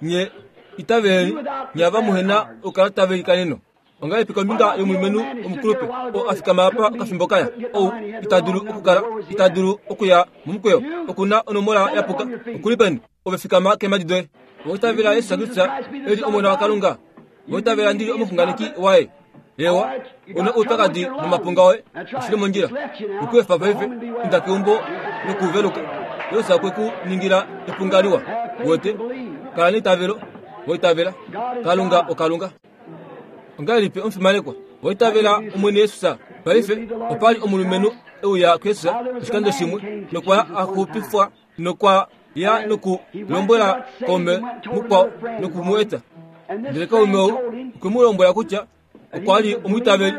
Speaker 1: nye itaveleni, nye ava muhe na oukalata veilikaneno. Ongahelipi kombinga yomulumenhu omukulupe oo a fikama apa okafimbo kaya, ou ita dulu okukala, ita dulu okuya momukweyo, oku na onomola ya puka, oku li peni? Ove fikama keemhadi doye. Owa itavela Jesus Kristus e li Omona waKalunga? Owa itavela ndi li omuxunganeki waye? Eewa, u na oupyakadi momapunga oye, oshi li mondjila. Oku efa paife, inda keumbo nokuveluka. Jesus okwe ku ningila epunga liwa. Wete, kala neitavelo, wa itavela. Kalunga oKalunga. Ongahelipi omufimanekwa wa itavela Omwene Jesus? Paife, opa li omulumenhu e uya kuJesus oshikando shimwe nokwa a xupifwa nokwa ya noku lombwela kaume mukwao noku mu eta. Ndele kaume ou okwe mu lombwela kutya okwa li omwiitaveli,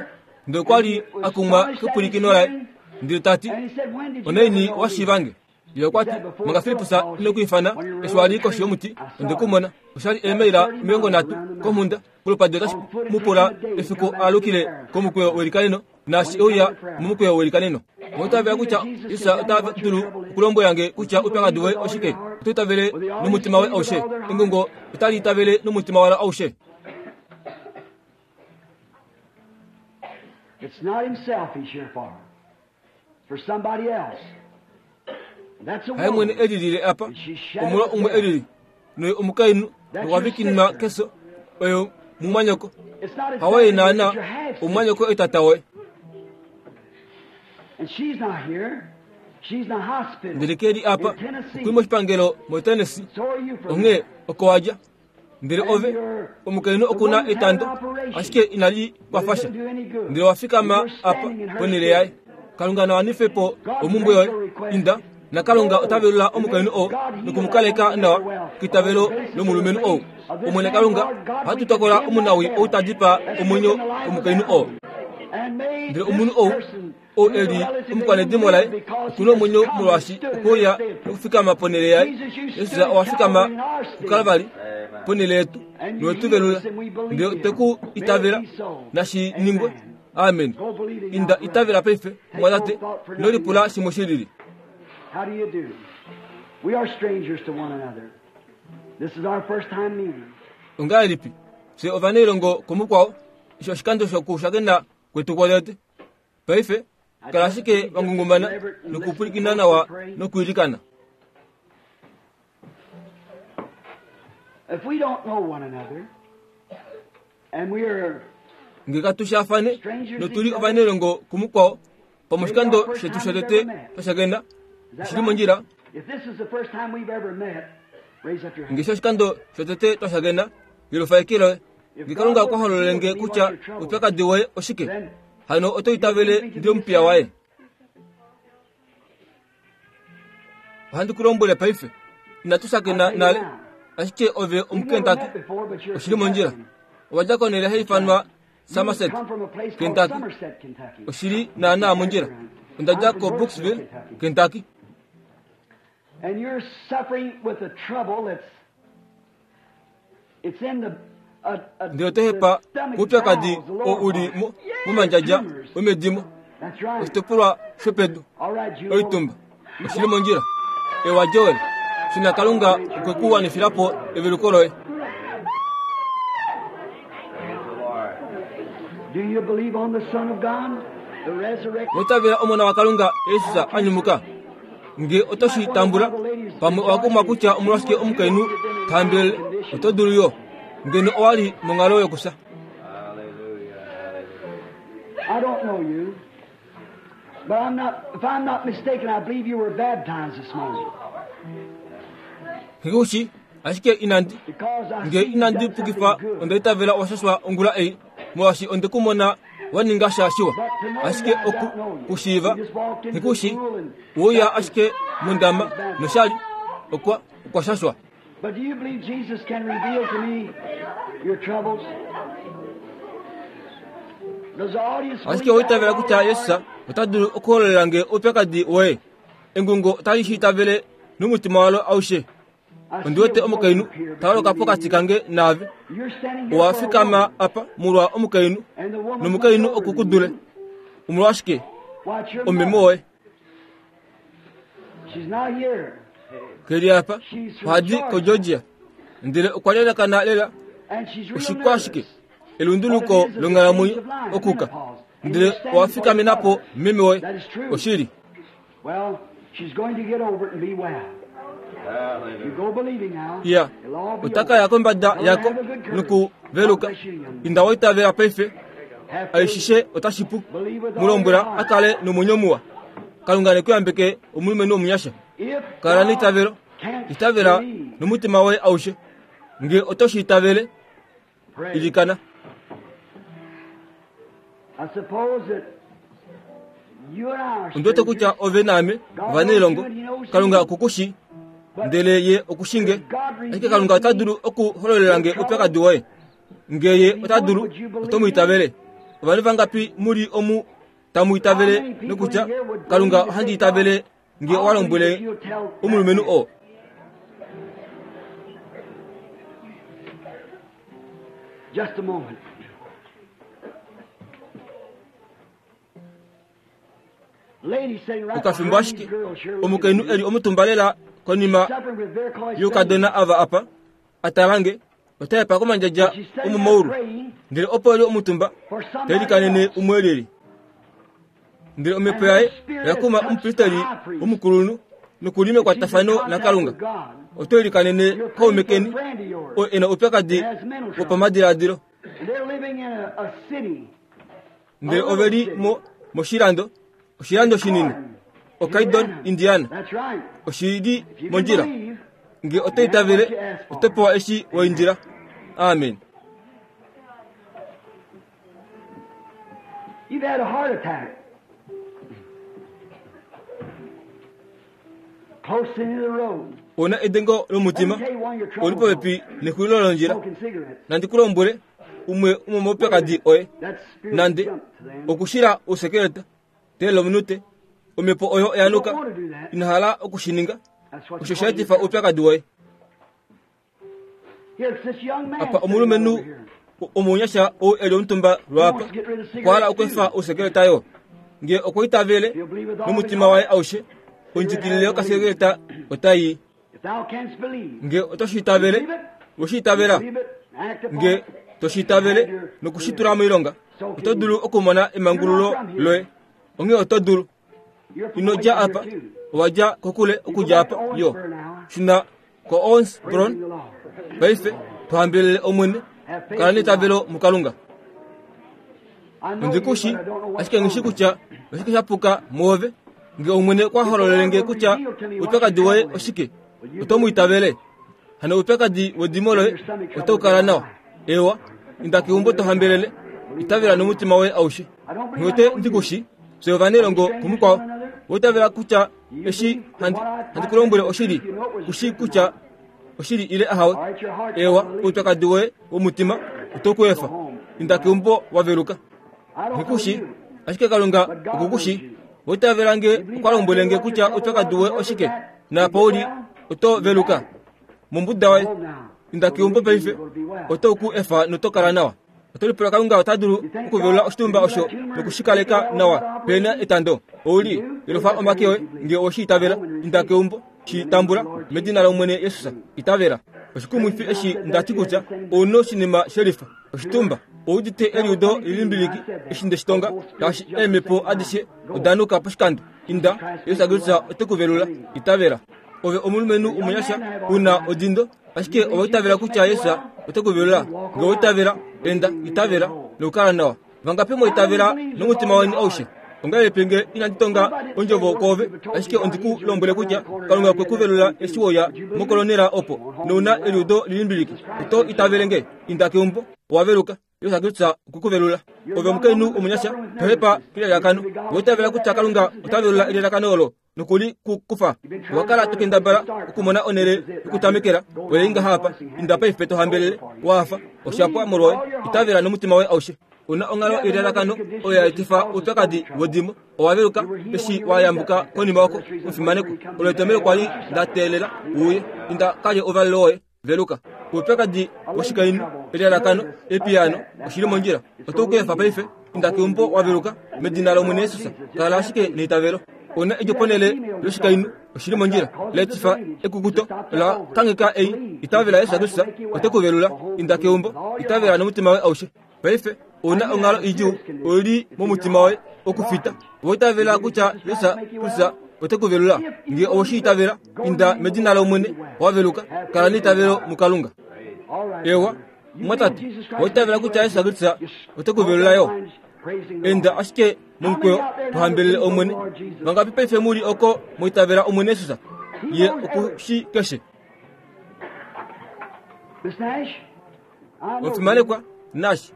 Speaker 1: ndele okwa li a kumwa kepwilikino laye, ndele ta ti, Onaini wa shiiva nge? Ye okwa ti, Manga Filippus ine ku ifana, eshi wa li koshi yomuti, onde ku mona. Osha li eemaila 30 komhunda. Kolupadi otashi mu pula efiku a alukile komukweyo welikaneno, naashi e uya momukweyo welikaneno. Owa itavela kutya Jesus ota dulu okulombwela nge kutya oupyakadi woye oshike? Oto itavele nomutima woye aushe? Engungo otali itavele nomutima walo aushe.
Speaker 2: It's not himself he's here for. For somebody else. That's a
Speaker 1: Haye mwene
Speaker 2: woman.
Speaker 1: e lilile apa, omolwa umwe e lili, noye omukainhu nokwa vikinwa keso, oye mumwanyoko.
Speaker 2: It's not
Speaker 1: Hawaye
Speaker 2: exactly
Speaker 1: naana
Speaker 2: but your half sister.
Speaker 1: omumwanyoko etata woye.
Speaker 2: And she's not here. She's in the hospital.
Speaker 1: Ndele ke li apa,
Speaker 2: In Tennessee.
Speaker 1: okuli moshipangelo moTennessee.
Speaker 2: So are you from
Speaker 1: Onghee oko wa dja. Ndele ove, omukainhu oku na etando, ashike inali kwafa sha. Ndele wa fikama apa ponhele yaye. Kalunga na wanife po omhumbwe yoye. Inda, naKalunga ota velula omukainhu oo noku mu kaleka nawa keitavelo lomulumenhu ou. Omwene Kalunga, ohatu tokola omunawii ou ta dipaa omwenyo womukainhu oo. Ndele omunhu ou, ou e li omukwanedimo laye, oku na omwenyo molwaashi okwe uya nokufikama ponhele yaye. Jesus owa fikama kuKalvari ponhele yetu nowe tu velula. Ndele otwe ku itavela. Nashi ningwe. Amen. Inda itavela paife, mumwatate, ino lipula shimwe shi lili.
Speaker 2: How do you do? We are strangers to one another. This is our first time meeting.
Speaker 1: Ongahelipi fye ovanailongo komukwao, eshi oshikando shokushakena kwetu kwotete? Paife, kala ashike wa ngungumana nokupwilikina nawa nokwiilikana.
Speaker 2: If we don't know one another, and we are
Speaker 1: Nge katu shaafane notu li ovanailongo kumukwao, pamoshikando shetu shotete twa shakena, oshi li mondjila.
Speaker 2: If this is the first time we've ever met, raise up your hand.
Speaker 1: Nge sho oshikando shotete twa shakena, yelufa eke loye. Nge Kalunga okwa hololele nge kutya oupyakadi woye oshike, hano oto itavele ndi omupiya waye. Ohandi ku lombwele paife, inatu shakena nale, ashike ove Omukentucky. Oshi li mondjila. Owa dja konhele hai ifanwa Somerset, Kentucky. Oshi li naanaa mondjila. Onda dja koBrooksville, Kentucky.
Speaker 2: And you're suffering with a trouble that's it's in the
Speaker 1: Ndele oto hepa koupyakadi oo u li mo, momandjadja omedimo, oshitopolwa shopedu, oitumba. Oshi li mondjila. Ewa, Joel, shuna Kalunga okwe ku wanifila po eveluko loye.
Speaker 2: Do you believe on the Son of God, the resurrected?
Speaker 1: Oitavela Omona waKalunga, Jesus, a nyumuka. Nge oto shi tambula, pamwe owa kumwa kutya omolwashike omukainhu ta hambelele, oto dulu yo, ngeno owa li monghalo yokufya.
Speaker 2: I don't know you, but I'm not, if I'm not mistaken, I believe you were baptized this morning.
Speaker 1: Nghi ku shi, ashike inandi,
Speaker 2: Because I
Speaker 1: nge
Speaker 2: see you've
Speaker 1: inandi
Speaker 2: done
Speaker 1: pukifa
Speaker 2: something good.
Speaker 1: onda itavela owa shashwa ongula ei, molwaashi onde ku mona Wa ninga sha shiwa. Ashike oku ku shiiva, nghi Uya ashike mondama noshali okwa okwa shashwa.
Speaker 2: But do you believe Jesus can reveal to me your troubles? Does the audience
Speaker 1: Ashike
Speaker 2: believe
Speaker 1: owa itavela
Speaker 2: that?
Speaker 1: kutya Jesus ota dulu okuhololela nge oupyakadi woye. Engungo otali shi itavele nomutima walo aushe.
Speaker 2: I see
Speaker 1: Ondi wete
Speaker 2: a woman
Speaker 1: omukainhu
Speaker 2: up here
Speaker 1: ta holoka
Speaker 2: between me
Speaker 1: pokati
Speaker 2: and
Speaker 1: kange naave.
Speaker 2: you. You're standing here
Speaker 1: Owa
Speaker 2: for a
Speaker 1: fikama
Speaker 2: woman,
Speaker 1: apa molwa omukainhu
Speaker 2: and the woman's
Speaker 1: nomukainhu
Speaker 2: much older
Speaker 1: oku ku
Speaker 2: than
Speaker 1: dule.
Speaker 2: you.
Speaker 1: Omolwashike
Speaker 2: Why, it's your
Speaker 1: omeme
Speaker 2: mother.
Speaker 1: woye
Speaker 2: She's not here.
Speaker 1: keli apa
Speaker 2: She's from
Speaker 1: ohadi
Speaker 2: Georgia,
Speaker 1: koGeorgia ndele okwa lelekana lela
Speaker 2: and she's real
Speaker 1: oshikwashike
Speaker 2: nervous.
Speaker 1: elunduluko
Speaker 2: What it is is a change
Speaker 1: longhalamwenyo
Speaker 2: of life,
Speaker 1: okuka
Speaker 2: menopause. And
Speaker 1: ndele
Speaker 2: you're standing
Speaker 1: owa
Speaker 2: for your
Speaker 1: fikamenapo
Speaker 2: mother.
Speaker 1: meme woye
Speaker 2: That is true.
Speaker 1: oshili
Speaker 2: Well, she's going to get over it and be well. You go believing now.
Speaker 1: iya
Speaker 2: It'll all be
Speaker 1: otaka
Speaker 2: over.
Speaker 1: ya kombada
Speaker 2: Tell her to
Speaker 1: yako
Speaker 2: have a good courage.
Speaker 1: nokuveluka
Speaker 2: God bless you, young man.
Speaker 1: inda waitavela paife
Speaker 2: Have faith.
Speaker 1: aishishe otashipu
Speaker 2: Believe with all your
Speaker 1: mulombwela
Speaker 2: heart.
Speaker 1: a kale nomwenyo muwa kalunga nekuyambeke omulumenhu omunyasha
Speaker 2: If
Speaker 1: kala
Speaker 2: thou
Speaker 1: neitavelo
Speaker 2: canst
Speaker 1: itavela
Speaker 2: believe,
Speaker 1: nomutima woye aushe nge oto shi itavele
Speaker 2: pray.
Speaker 1: ilikana
Speaker 2: I suppose that you and I are
Speaker 1: ondi wete kutya
Speaker 2: strangers,
Speaker 1: ove naame ovanailongo kalunga okukushi
Speaker 2: but
Speaker 1: ndele ye okushinge
Speaker 2: could God
Speaker 1: ashike
Speaker 2: reveal
Speaker 1: kalunga
Speaker 2: to
Speaker 1: ota
Speaker 2: me
Speaker 1: dulu okuhololela nge
Speaker 2: your
Speaker 1: oupyakadi
Speaker 2: troubles?
Speaker 1: woye nge ye
Speaker 2: If he
Speaker 1: ota
Speaker 2: would,
Speaker 1: dulu
Speaker 2: would you
Speaker 1: oto
Speaker 2: believe
Speaker 1: mu
Speaker 2: him?
Speaker 1: itavele ovanhu vangapi muli omu tamu
Speaker 2: How
Speaker 1: itavele
Speaker 2: many people
Speaker 1: nokutya
Speaker 2: in here would
Speaker 1: kalunga
Speaker 2: believe to
Speaker 1: ohandi
Speaker 2: say,
Speaker 1: itavele
Speaker 2: God,
Speaker 1: nge owa
Speaker 2: I'll believe
Speaker 1: lombwele
Speaker 2: if you'll tell that
Speaker 1: omulumenhu
Speaker 2: man.
Speaker 1: oo
Speaker 2: Just a moment. Lady sitting right
Speaker 1: okafimbo
Speaker 2: behind these
Speaker 1: ashike
Speaker 2: girls here looking at
Speaker 1: omukainhu
Speaker 2: me,
Speaker 1: eli omutumba lela konima
Speaker 2: suffering with varicose
Speaker 1: youkadona
Speaker 2: veins.
Speaker 1: ava apa atalange otayapa komandjadja
Speaker 2: But she's sitting there
Speaker 1: omomaulu
Speaker 2: praying
Speaker 1: ndele opo eli omutumba
Speaker 2: for somebody
Speaker 1: telikanene
Speaker 2: else.
Speaker 1: umwe leli ndele omhepo
Speaker 2: And her
Speaker 1: yaye
Speaker 2: spirit
Speaker 1: oya
Speaker 2: has
Speaker 1: kuma
Speaker 2: touched the
Speaker 1: omupristeli
Speaker 2: high priest.
Speaker 1: omukulunhu nokuli
Speaker 2: And she's in
Speaker 1: mekwatafano
Speaker 2: contact
Speaker 1: nakalunga
Speaker 2: with God.
Speaker 1: oto ilikanene
Speaker 2: You're
Speaker 1: kaume
Speaker 2: praying for a
Speaker 1: keni
Speaker 2: friend of yours
Speaker 1: oo ena oupyakadi
Speaker 2: that has mental trouble.
Speaker 1: wopamadiladilo
Speaker 2: And they're living in a city, a
Speaker 1: ndele
Speaker 2: little
Speaker 1: ove li
Speaker 2: city,
Speaker 1: mo moshilando oshilando shinini
Speaker 2: Gordon,
Speaker 1: okaidon
Speaker 2: Indiana.
Speaker 1: indiana
Speaker 2: That's right.
Speaker 1: oshili
Speaker 2: If you can
Speaker 1: mondjila
Speaker 2: believe,
Speaker 1: nge oto
Speaker 2: you have what
Speaker 1: itavele
Speaker 2: you ask
Speaker 1: oto
Speaker 2: for.
Speaker 1: pewa eshi
Speaker 2: Amen.
Speaker 1: waindila amen
Speaker 2: You've had a heart attack. Close to the end of the road.
Speaker 1: ona edengo
Speaker 2: Let me
Speaker 1: lomutima
Speaker 2: tell you one of your
Speaker 1: oli
Speaker 2: troubles, though.
Speaker 1: popepi nexulilo londjila
Speaker 2: Smoking cigarettes.
Speaker 1: nandi kulombwele umwe
Speaker 2: Wait a minute.
Speaker 1: womomaupyakadi oye
Speaker 2: That spirit
Speaker 1: nande
Speaker 2: jumped then.
Speaker 1: okushila ousekeleta telominute omhepo oyo
Speaker 2: You don't
Speaker 1: oyanuka
Speaker 2: want to do that.
Speaker 1: inahala okushininga
Speaker 2: That's what's
Speaker 1: osho
Speaker 2: causing your
Speaker 1: shaetifa
Speaker 2: trouble.
Speaker 1: oupyakadi woye
Speaker 2: Here, it's this young man
Speaker 1: apa
Speaker 2: sitting right
Speaker 1: omulumenhu
Speaker 2: over here.
Speaker 1: omunyasha ou eli omutumba
Speaker 2: He
Speaker 1: lwapa
Speaker 2: wants to get rid of
Speaker 1: okwahala
Speaker 2: cigarettes
Speaker 1: okwefa
Speaker 2: too.
Speaker 1: ousekeleta yo nge okwaitavele
Speaker 2: He'll believe with all his
Speaker 1: nomutima waye
Speaker 2: heart.
Speaker 1: aushe
Speaker 2: Cigarette
Speaker 1: ondjikilile
Speaker 2: has to leave.
Speaker 1: yokasekeleta otayi
Speaker 2: If thou canst believe,
Speaker 1: nge oto
Speaker 2: you
Speaker 1: shiitavele
Speaker 2: believe it,
Speaker 1: we
Speaker 2: you
Speaker 1: shiitavela
Speaker 2: believe it, act upon
Speaker 1: nge
Speaker 2: it,
Speaker 1: to
Speaker 2: and
Speaker 1: shiitavele
Speaker 2: have your
Speaker 1: nokushitula
Speaker 2: deliverance.
Speaker 1: moilonga
Speaker 2: So
Speaker 1: oto
Speaker 2: can
Speaker 1: dulu
Speaker 2: you.
Speaker 1: okumona
Speaker 2: You're not
Speaker 1: emangululo
Speaker 2: from here.
Speaker 1: loye onghee oto dulu
Speaker 2: You're from
Speaker 1: ino
Speaker 2: away
Speaker 1: dja
Speaker 2: from
Speaker 1: apa
Speaker 2: here too.
Speaker 1: owa dja kokule
Speaker 2: You go
Speaker 1: okudja
Speaker 2: back to
Speaker 1: apa yo
Speaker 2: Owensboro now,
Speaker 1: shuna ko Owensboro
Speaker 2: praising the Lord.
Speaker 1: paife tuhambelele omwene
Speaker 2: Have faith
Speaker 1: kala
Speaker 2: in
Speaker 1: neitavelo
Speaker 2: God.
Speaker 1: mukalunga
Speaker 2: I know you,
Speaker 1: ondikushi
Speaker 2: but I don't know what's
Speaker 1: ashike ngishi
Speaker 2: wrong with
Speaker 1: kutya
Speaker 2: you.
Speaker 1: oshike sha puka muove nge omwene kwa
Speaker 2: If the
Speaker 1: hololele
Speaker 2: Lord
Speaker 1: nge
Speaker 2: will
Speaker 1: kutya
Speaker 2: reveal to me what your
Speaker 1: oupyakadi woye
Speaker 2: trouble is,
Speaker 1: oshike
Speaker 2: will you
Speaker 1: oto mu
Speaker 2: believe me?
Speaker 1: itavele hano oupyakadi wedimo
Speaker 2: Then
Speaker 1: loye
Speaker 2: your stomach
Speaker 1: oto
Speaker 2: trouble will
Speaker 1: kala
Speaker 2: get
Speaker 1: nawa
Speaker 2: out.
Speaker 1: ewa inda
Speaker 2: Go home
Speaker 1: keumbo
Speaker 2: and
Speaker 1: to
Speaker 2: live
Speaker 1: hambelele
Speaker 2: well. Believe with
Speaker 1: itavela
Speaker 2: all your
Speaker 1: nomutima
Speaker 2: heart.
Speaker 1: woye aushe
Speaker 2: I don't believe I
Speaker 1: ngiote
Speaker 2: know you.
Speaker 1: ndikushi fye
Speaker 2: Are we
Speaker 1: ovanelongo
Speaker 2: strangers to
Speaker 1: kumukwao
Speaker 2: one another?
Speaker 1: woitavela kutya
Speaker 2: Do you
Speaker 1: eshi
Speaker 2: believe that
Speaker 1: handi
Speaker 2: what I
Speaker 1: handi
Speaker 2: I
Speaker 1: kulombwele
Speaker 2: said is the
Speaker 1: oshili
Speaker 2: truth? You know it was the
Speaker 1: kushi
Speaker 2: truth or
Speaker 1: kutya
Speaker 2: not.
Speaker 1: oshili ile ahawe
Speaker 2: All right, your heart's
Speaker 1: ewa
Speaker 2: gonna leave.
Speaker 1: oupyakadi woye womutima oto
Speaker 2: Go
Speaker 1: kuefa
Speaker 2: home.
Speaker 1: inda
Speaker 2: Well,
Speaker 1: keumbo waveluka
Speaker 2: I don't know
Speaker 1: ngikushi
Speaker 2: you,
Speaker 1: ashike kalunga
Speaker 2: but God knows
Speaker 1: okukushi
Speaker 2: you.
Speaker 1: woitavela nge
Speaker 2: You believe
Speaker 1: okwa
Speaker 2: I
Speaker 1: lombwele
Speaker 2: tell you
Speaker 1: nge
Speaker 2: what your
Speaker 1: kutya
Speaker 2: trouble
Speaker 1: oupyakadi
Speaker 2: was
Speaker 1: woye
Speaker 2: and where it was
Speaker 1: oshike
Speaker 2: at? You
Speaker 1: naapa
Speaker 2: get
Speaker 1: uli
Speaker 2: well,
Speaker 1: oto
Speaker 2: you got
Speaker 1: veluka
Speaker 2: it.
Speaker 1: mombuda
Speaker 2: Go
Speaker 1: waye
Speaker 2: home now.
Speaker 1: inda
Speaker 2: Go
Speaker 1: keumbo
Speaker 2: believe
Speaker 1: paife
Speaker 2: you're going to be well.
Speaker 1: oto ku efa notokala nawa oto lipula kalunga ota dulu
Speaker 2: You thank
Speaker 1: okuvelula
Speaker 2: God
Speaker 1: oshitumba
Speaker 2: to heal
Speaker 1: osho
Speaker 2: that tumor and
Speaker 1: nokushikaleka
Speaker 2: make it well
Speaker 1: nawa
Speaker 2: without
Speaker 1: pena
Speaker 2: operation?
Speaker 1: etando
Speaker 2: You
Speaker 1: ouli
Speaker 2: do? Raise
Speaker 1: yelufa
Speaker 2: up your
Speaker 1: omake
Speaker 2: hands
Speaker 1: oye
Speaker 2: if you believe
Speaker 1: nge
Speaker 2: it. Go
Speaker 1: oshiitavela
Speaker 2: home and
Speaker 1: inda
Speaker 2: receive it.
Speaker 1: keumbo
Speaker 2: In the name of the
Speaker 1: shitambula
Speaker 2: Lord
Speaker 1: medina
Speaker 2: Jesus.
Speaker 1: lomwene yesus
Speaker 2: Believe.
Speaker 1: itavela oshikumwifi
Speaker 2: Praise God
Speaker 1: eshi
Speaker 2: said that
Speaker 1: ndati
Speaker 2: you had
Speaker 1: kutya
Speaker 2: the same
Speaker 1: ouna oshinima shelifa oshitumba
Speaker 2: tumor.
Speaker 1: oudite
Speaker 2: Tell a
Speaker 1: eliudo
Speaker 2: funny thing when I
Speaker 1: lilimbiliki
Speaker 2: said that.
Speaker 1: eshi ndeshitonga
Speaker 2: Both spirits
Speaker 1: ngaashi
Speaker 2: jumped the
Speaker 1: eemhepo
Speaker 2: same time.
Speaker 1: adishe
Speaker 2: Go.
Speaker 1: odanuka poshikando inda
Speaker 2: Jesus Christ
Speaker 1: yesu
Speaker 2: made you
Speaker 1: akristu
Speaker 2: well.
Speaker 1: ote kuvelula
Speaker 2: Believe.
Speaker 1: itavela ove omulumenhu
Speaker 2: The young
Speaker 1: omunyasha
Speaker 2: man have
Speaker 1: una
Speaker 2: arthritis.
Speaker 1: odindo
Speaker 2: Do
Speaker 1: ashike
Speaker 2: you believe
Speaker 1: owaitavela
Speaker 2: Jesus
Speaker 1: kutya
Speaker 2: made you
Speaker 1: yesu
Speaker 2: well?
Speaker 1: ote kuvelula
Speaker 2: You walk
Speaker 1: nge
Speaker 2: on
Speaker 1: oitavela
Speaker 2: out,
Speaker 1: enda
Speaker 2: believing you're
Speaker 1: itavela
Speaker 2: whole.
Speaker 1: nokukala nawa vangapi
Speaker 2: How many
Speaker 1: moitavela
Speaker 2: believes with
Speaker 1: nomutima
Speaker 2: all
Speaker 1: weni
Speaker 2: your
Speaker 1: aushe
Speaker 2: heart?
Speaker 1: ongahelipi nge inanditonga
Speaker 2: What if I didn't say a
Speaker 1: ondjovo
Speaker 2: word to
Speaker 1: koove
Speaker 2: you but told
Speaker 1: ashike
Speaker 2: you God
Speaker 1: ondiku
Speaker 2: heals you and
Speaker 1: lombwele
Speaker 2: come around
Speaker 1: kutya
Speaker 2: the corner
Speaker 1: kalunga
Speaker 2: down here
Speaker 1: kwe
Speaker 2: that
Speaker 1: kuvelula
Speaker 2: same
Speaker 1: eshi
Speaker 2: thing?
Speaker 1: woya
Speaker 2: Would you believe it?
Speaker 1: mokolonela opo
Speaker 2: Go on home and
Speaker 1: nouna
Speaker 2: be well.
Speaker 1: eliudo lilimbiliki
Speaker 2: Jesus Christ
Speaker 1: oto
Speaker 2: makes you
Speaker 1: itavele
Speaker 2: well.
Speaker 1: nge inda keumbo owaveluka Jesus Kristus okwe ku velula. Ove omukainhu omunyasha, to hepa kelalakano. Owa itavela kutya Kalunga ota velula elalakano olo noku li ku kufa. Owa kala to kendabala okumona onhele yokutamekela, oye ngaha apa. Inda paife to hambelele, wa hafa, osha pwa molwoye. Itavela nomutima woye aushe. U na onghalo yelalakano oyo ya etifa oupyakadi wedimo. Owa veluka eshi wa yambuka konima oko, omufimanekwa. Olo etomhelo kwa li nda teelela u uye. Inda ka lye ouvalelo woye. Veluka. Oupyakadi woshikainhu, elalakano, epiyaano, oshi li mondjila. Oto ku efa paife. Inda keumbo wa veluka, medina lOmwene Jesus. Kala ashike neitavelo. Ona edjo ponhele yoshikainhu, oshi li mondjila. Letifa ekukuto la kangheka ei. Itavela Jesus Kristus, ote ku velula. Inda keumbo, itavela nomutima woye aushe. Paife, ou na onghalo idjuu, oi li momutima woye, okufita. Owa itavela kutya Jesus Kristus ote ku velula? Nge owe shi itavela, inda medina lOmwene, wa veluka. Kala neitavelo muKalunga. Ewa, mumwatate, owa itavela kutya Jesus Kristus ote ku velula yo? Enda ashike momukweyo to hambelele Omwene. Vangapi paife mu li oko mwa itavela Omwene Jesus? Ye oku shi keshe.
Speaker 2: Miss Nash,
Speaker 1: Omufimanekwa Nash,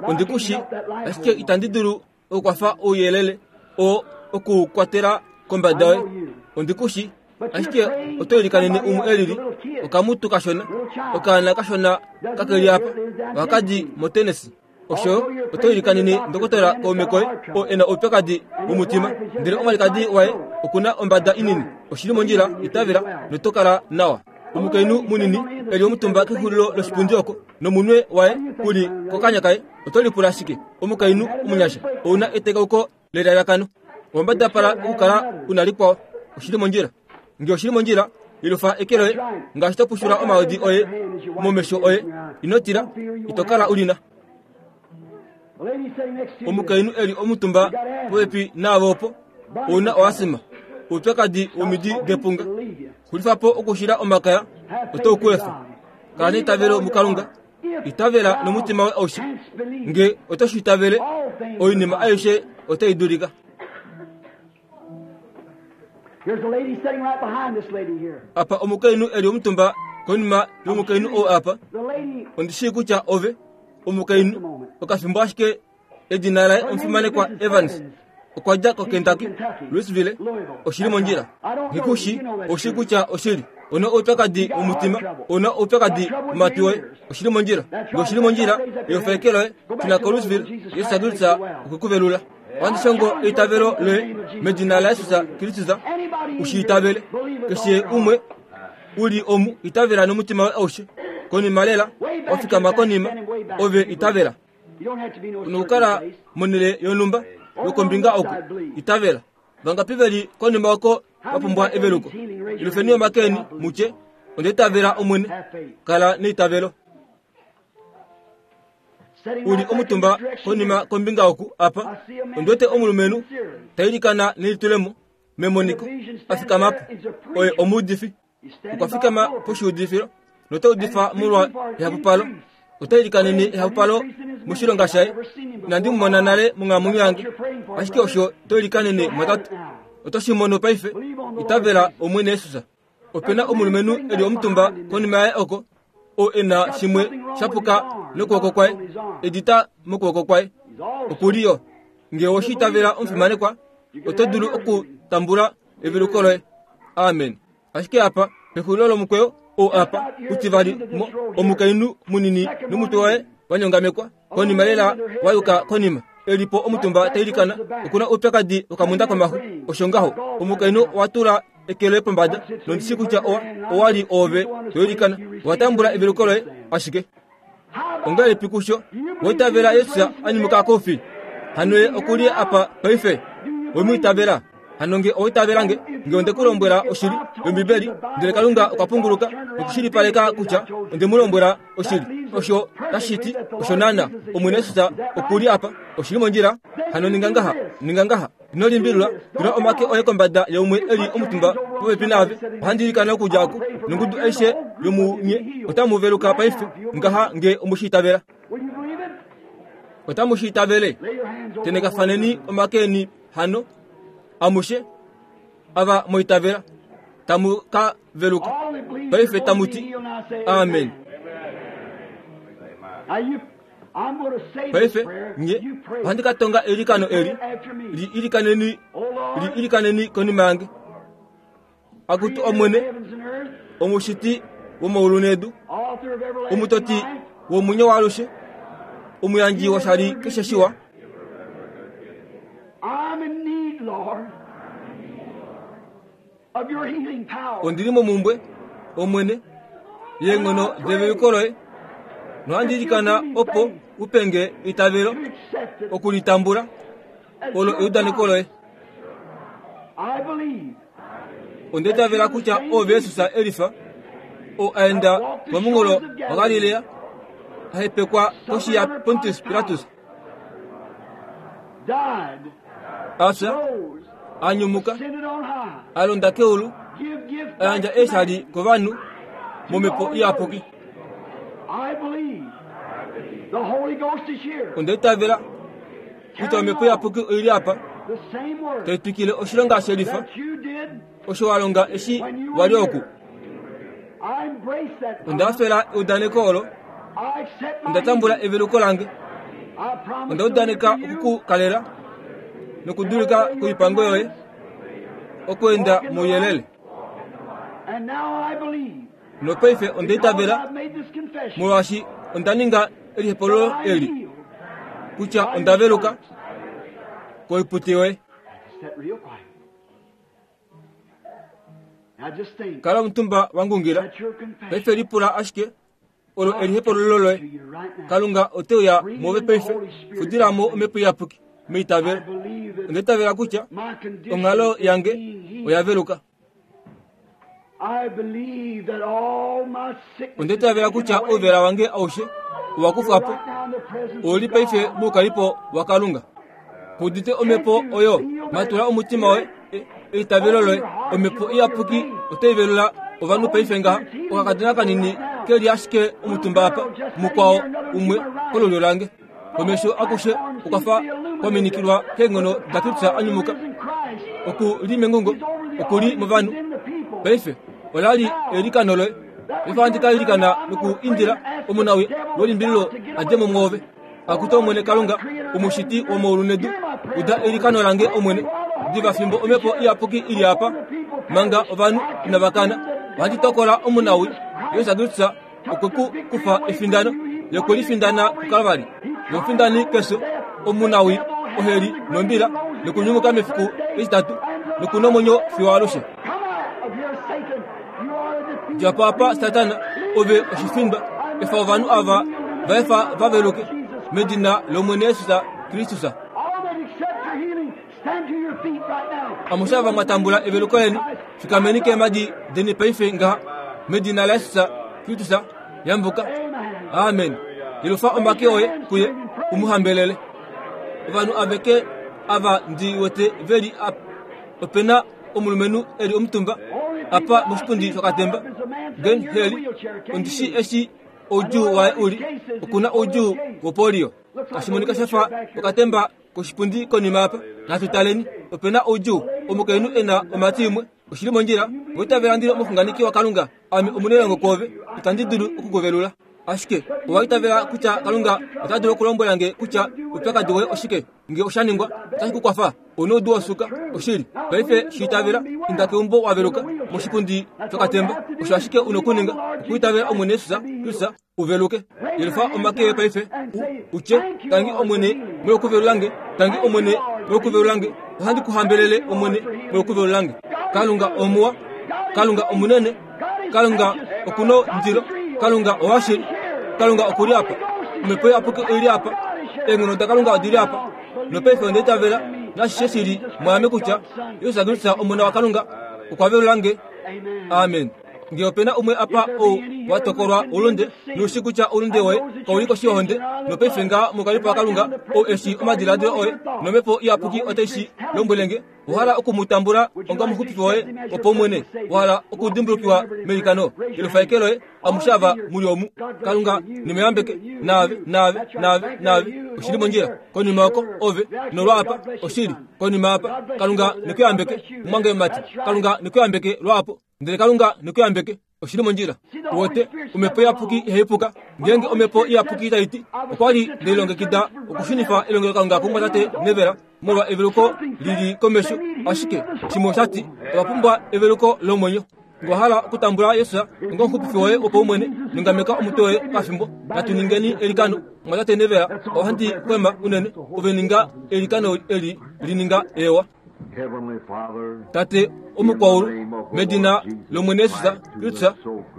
Speaker 1: ondi ku shi, ashike itandi dulu okukwafa ouyelele oo oku u kwatela kombada yoye. Ondi ku shi, ashike oto ilikanene umwe e lili, okamutu kashona, okaana kashona kake li apa, ohaka di moTennessee. Osho oto ilikanene ndokotola kaume koye oo e na oupyakadi womutima, ndele omwalikadi waye oku na ombada inini. Oshi li mondjila, itavela, noto kala nawa. Omukainhu munini e li omutumba kexulilo loshipundi oko, nomunwe waye u li kokanya kaye. Oto lipula shike, omukainhu omunyasha? Ou na etekauko lelalakano. Owa mbadapala okukala u na likwao. Oshi li mondjila. Nge oshi li mondjila, yelufa eke loye ngaashi to pushula omaodi oye momesho oye. Ino tila, ito kala u li na. Omukainhu e li omutumba popepi naave opo, ou na oasima, oupyakadi womidi depunga. Xulifa po okushila omakaya, oto ku efa. Kala neitavelo muKalunga. Itavela nomutima woye aushe. Nge oto shi itavele, oinima aishe otai dulika. Apa omukainhu e li omutumba konima yomukainhu ou apa. Ondi shii kutya ove omukainhu okafimbo ashike edina laye omufimanekwa Evans okwa dja koKentucky, Louisville. Oshi li mondjila. Nghikushi oshi kutya oshili. Ona oupyakadi womutima, ona oupyakadi womatwi oye. Oshi li mondjila. Nge oshi li mondjila, eofeke loye, shuna koLouisville, Jesus Kristus okwe ku velula. Ohandi shongo eitavelo loye medina laJesus Kristus, u shi itavele. Keshe umwe u li omu itavela nomutima woye aushe. Konima lela, wa fikama konima, ove itavela. Nokukala monhele yonhumba yokombinga oku, itavela. Vangapi ve li konima oko va pumbwa eveluko? Ilufeni omake eni, mu tye, Onda itavela Omwene. Kala neitavelo. U li omutumba konima kombinga oku apa, ondi wete omulumenhu ta ilikana nelitulemo memoniko, a fikama po. Oye omuudifi. Okwa fikama poshiudifilo nota udifa molwa ehapupalo. Ota ilikanene ehapupalo moshilonga shaye. Inandi mu mona nale monghalamwenyo yange, ashike osho to ilikanene mwatate. Oto shi mono paife. Itavela Omwene Jesus. Ope na omulumenhu e li omutumba konima yaye oko, oo e na shimwe sha puka nokwooko kwaye, edita mokwooko kwaye. Oku li yo. Nge owe shi itavela omufimanekwa, oto dulu okutambula eveluko loye. Amen. Ashike apa, pexulilo lomukweyo ou apa, utivali, mo, omukainhu munini nomutwe waye wa nyongamekwa, konima lela wa yuka konima, e li po omutumba ta ilikana, oku na oupyakadi wokamunda komaxu. Osho ngaho. Omukainhu owa tula eke loye pombada, nondi shii kutya owa, owa li oove to ilikana. Owa tambula eveluko loye, ashike. Ongahelipi kusho wa itavela Jesus a nyumuka koufi? Hano ye oku li apa paife. We mu itavela? Hano nge owa itavela nge, nge onde ku lombwela oshili yOmbibeli, ndele Kalunga okwa punguluka nokushilipaleka kutya onde mu lombwela oshili. Osho tashi ti osho naana. Omwene Jesus oku li apa. Oshi li mondjila. Hano ninga ngaha, ninga ngaha. Ino limbililwa, tula omake oye kombada yaumwe e li omutumba popepi naave. Ohandi ilikana okudja oku, nongudu aishe yomunye otamu veluka paife ngaha nge omu shi itavela. Otamu shi itavele? Tenekafaneni omake eni hano, amushe ava mwa itavela, tamu ka veluka. Paife tamu ti, Amen. Paife nye ohandi ka tonga eilikano eli, li ilikaneni, li ilikaneni konima yange. Akutu Omwene, omushiti womaulu nedu, omutoti womwenyo waalushe, omuyandji woshali keshe shiwa, Ondi li momumbwe, Omwene, yeenghono develuko loye, nohandi ilikana opo u pe nge eitavelo oku li tambula. Olo eudaneko loye. Onda itavela kutya ove Jesus Elifa, oo a enda pomunghulo waGalilea, a hepekwa koshi yaPontius Pilatus, a fya, a nyumuka, a londa keulu, a yandja eeshali kovanhu momhepo iyapuki. Onda itavela kutya omhepo iyapuki oi li apa tai twikile oshilonga shelifa osho wa longa eshi wa li oku. Onda hafela eudaneko olo. Onda tambula eveluko lange. Onda udaneka oku ku kalela nokudulika koipango yoye, okweenda mouyelele. Nopaife onda itavela, molwaashi onda ninga elihepololo eli, kutya onda veluka koipute yoye. Kala omutumba wa ngungila. Paife lipula ashike olo elihepololo loye. Kalunga ote uya move paife. Fudila mo omhepo iyapuki meitavelo. Onda itavela kutya onghalo yange oya veluka. Onda itavela kutya ouvela wange aushe owa kufwa po. Ou li paife moukalipo waKalunga. Ku udite omhepo oyo? Matula omutima woye, eitavelo loye. Omhepo Iyapuki otai velula ovanhu paife ngaha. Okakadona kanini ke li ashike omutumba apa, mukwao umwe kolulyo lange. Komesho akushe okwa fa kwa minikilwa keenghono daKristus a nyumuka. Oku li mengungo, oku li movanhu. Paife, ola li eilikano loye. Paife ohandi ka ilikana noku indila omunawii welimbililo a dje mo mwoove. Akutu Omwene Kalunga, Omushiti womaulu nedu, uda eilikano lange Omwene. Diva fimbo Omhepo Iyapuki i li apa, manga ovanhu inava kana, ohandi tokola omunawii, Jesus Kristus okwe ku kufa efindano, Ye okwe li findana kuKalvari. Ye omufindani kefyo, omunawii, oheli nombila, nokunyumuka mefiku etitatu, noku nomwenyo fiyo alushe. Dja po apa, Satana, ove oshifindwa. Efa ovanhu ava va efa va veluke, medina lOmwene Jesus Kristus. Amushe ava mwa tambula eveluko leni, fikameni keemhadi deni paife ngaha, medina laJesus Kristus. Yambuka. Amen. Yelufa omake oye kuye, u mu hambelele. Ovanhu aveke ava ndi wete ve li apa. Ope na omulumenhu e li omutumba apa moshipundi shokatemba, Glen Haley. Ondi shii eshi oudjuu waye u li. Oku na oudjuu wopolio. Tashi monika sha fa okatemba koshipundi konima apa. Natu taleni. Ope na oudjuu. Omukainhu e na omhati imwe. Oshi li mondjila. Ove itavela ndi li omuxunganeki waKalunga? Ame omunailongo kwoove. Itandi dulu oku ku velula. Ashike owa itavela kutya Kalunga ota dulu okulombwela nge kutya oupyakadi woye oshike? Nge osha ningwa, otashi ku kwafa. Ou noudu wosuka. Oshili. Paife shi itavela. Inda keumbo wa veluka, moshipundi shokatemba. Osho ashike u nokuninga, okuitavela Omwene Jesus Kristus, u veluke. Yelufa omake oye paife, u, u tye, Tangi Omwene, molwokuvelula nge. Tangi Omwene, molwokuvelula nge. Ohandi ku hambelele, Omwene, molwokuvelula nge. Kalunga omuwa. Kalunga omunene. Kalunga oku nondilo. Kalunga owashili. Kalunga oku li apa. Omhepo Iyapuki oi li apa. Eenghono daKalunga odi li apa. Nopaife onda itavela nashishe shi li mwaame kutya Jesus Kristus Omona waKalunga okwa velula nge. Amen. Nge ope na umwe apa ou wa tokolwa oulunde, nou shii kutya oulunde woye kau li koshi yohonde, nopaife ngaha mokalipo waKalunga ou e shii omadiladilo oye, nOmhepo Iyapuki otai shi lombwele nge, Owa hala oku mu tambula onga omuxupifi woye wopaumwene? Wa hala okudimbulukiwa meilikano? Yelufa eke loye, amushe ava mu li omu. Kalunga ne mu yambeke, naave, naave, naave, naave. Oshi li mondjila. Konima oko, ove, nolwa apa, oshili, konima apa. Kalunga ne ku yambeke, mumwange mumati. Kalunga ne ku yambeke lwaapo. Ndele Kalunga ne ku yambeke. Oshi li mondjila. Uwete, Omhepo Iyapuki ihai puka. Ngeenge Omhepo Iyapuki tai ti, Okwa li nde lilongekida okushunifa elongelokalunga kumwatate Neville molwa eveluko li li komesho, ashike shimwe osha ti, Ova pumbwa eveluko lomwenyo. Ngee owa hala okutambula Jesus onga omuxupifi woye wopaumwene, nyongameka omutwe woye okafimbo. Natu ningeni eilikano. Mumwatate Neville, ohandi kwema unene. Ove ninga eilikano eli li ninga ewa. Tate omukwaulu, medina lOmwene Jesus Kristus,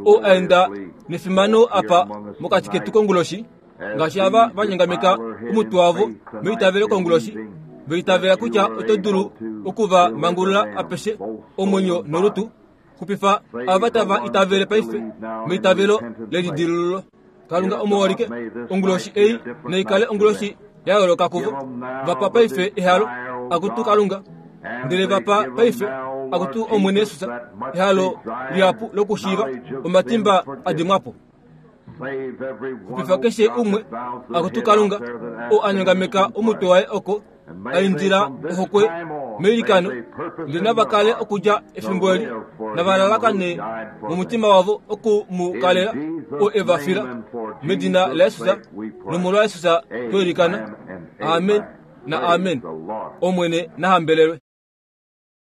Speaker 1: ou a enda nefimano apa mokati ketu konguloshi, ngaashi ava va nyongameka omutwe wavo meitavelo konguloshi, va itavela kutya oto dulu oku va mangulula apeshe, omwenyo nolutu. Xupifa ava tava itavele paife meitavelo lelidilululo. Kalunga omuholike, onguloshi ei naikale onguloshi ya yooloka kuvo. Va pa paife ehalo, akutu Kalunga, ndele va pa paife, akutu Omwene Jesus, ehalo lihapu lokushiiva omatimba a dimwa po. Xupifa keshe umwe, akutu Kalunga, oo a nyongameka omutwe waye oko a indila ohokwe meilikano, ndele nava kale okudja efimbo eli, nava lalakane momutima wavo oku mu kalela oo e va fila. Medina laJesus nomolwa Jesus twa ilikana. Amen na amen. Omwene na hambelelwe.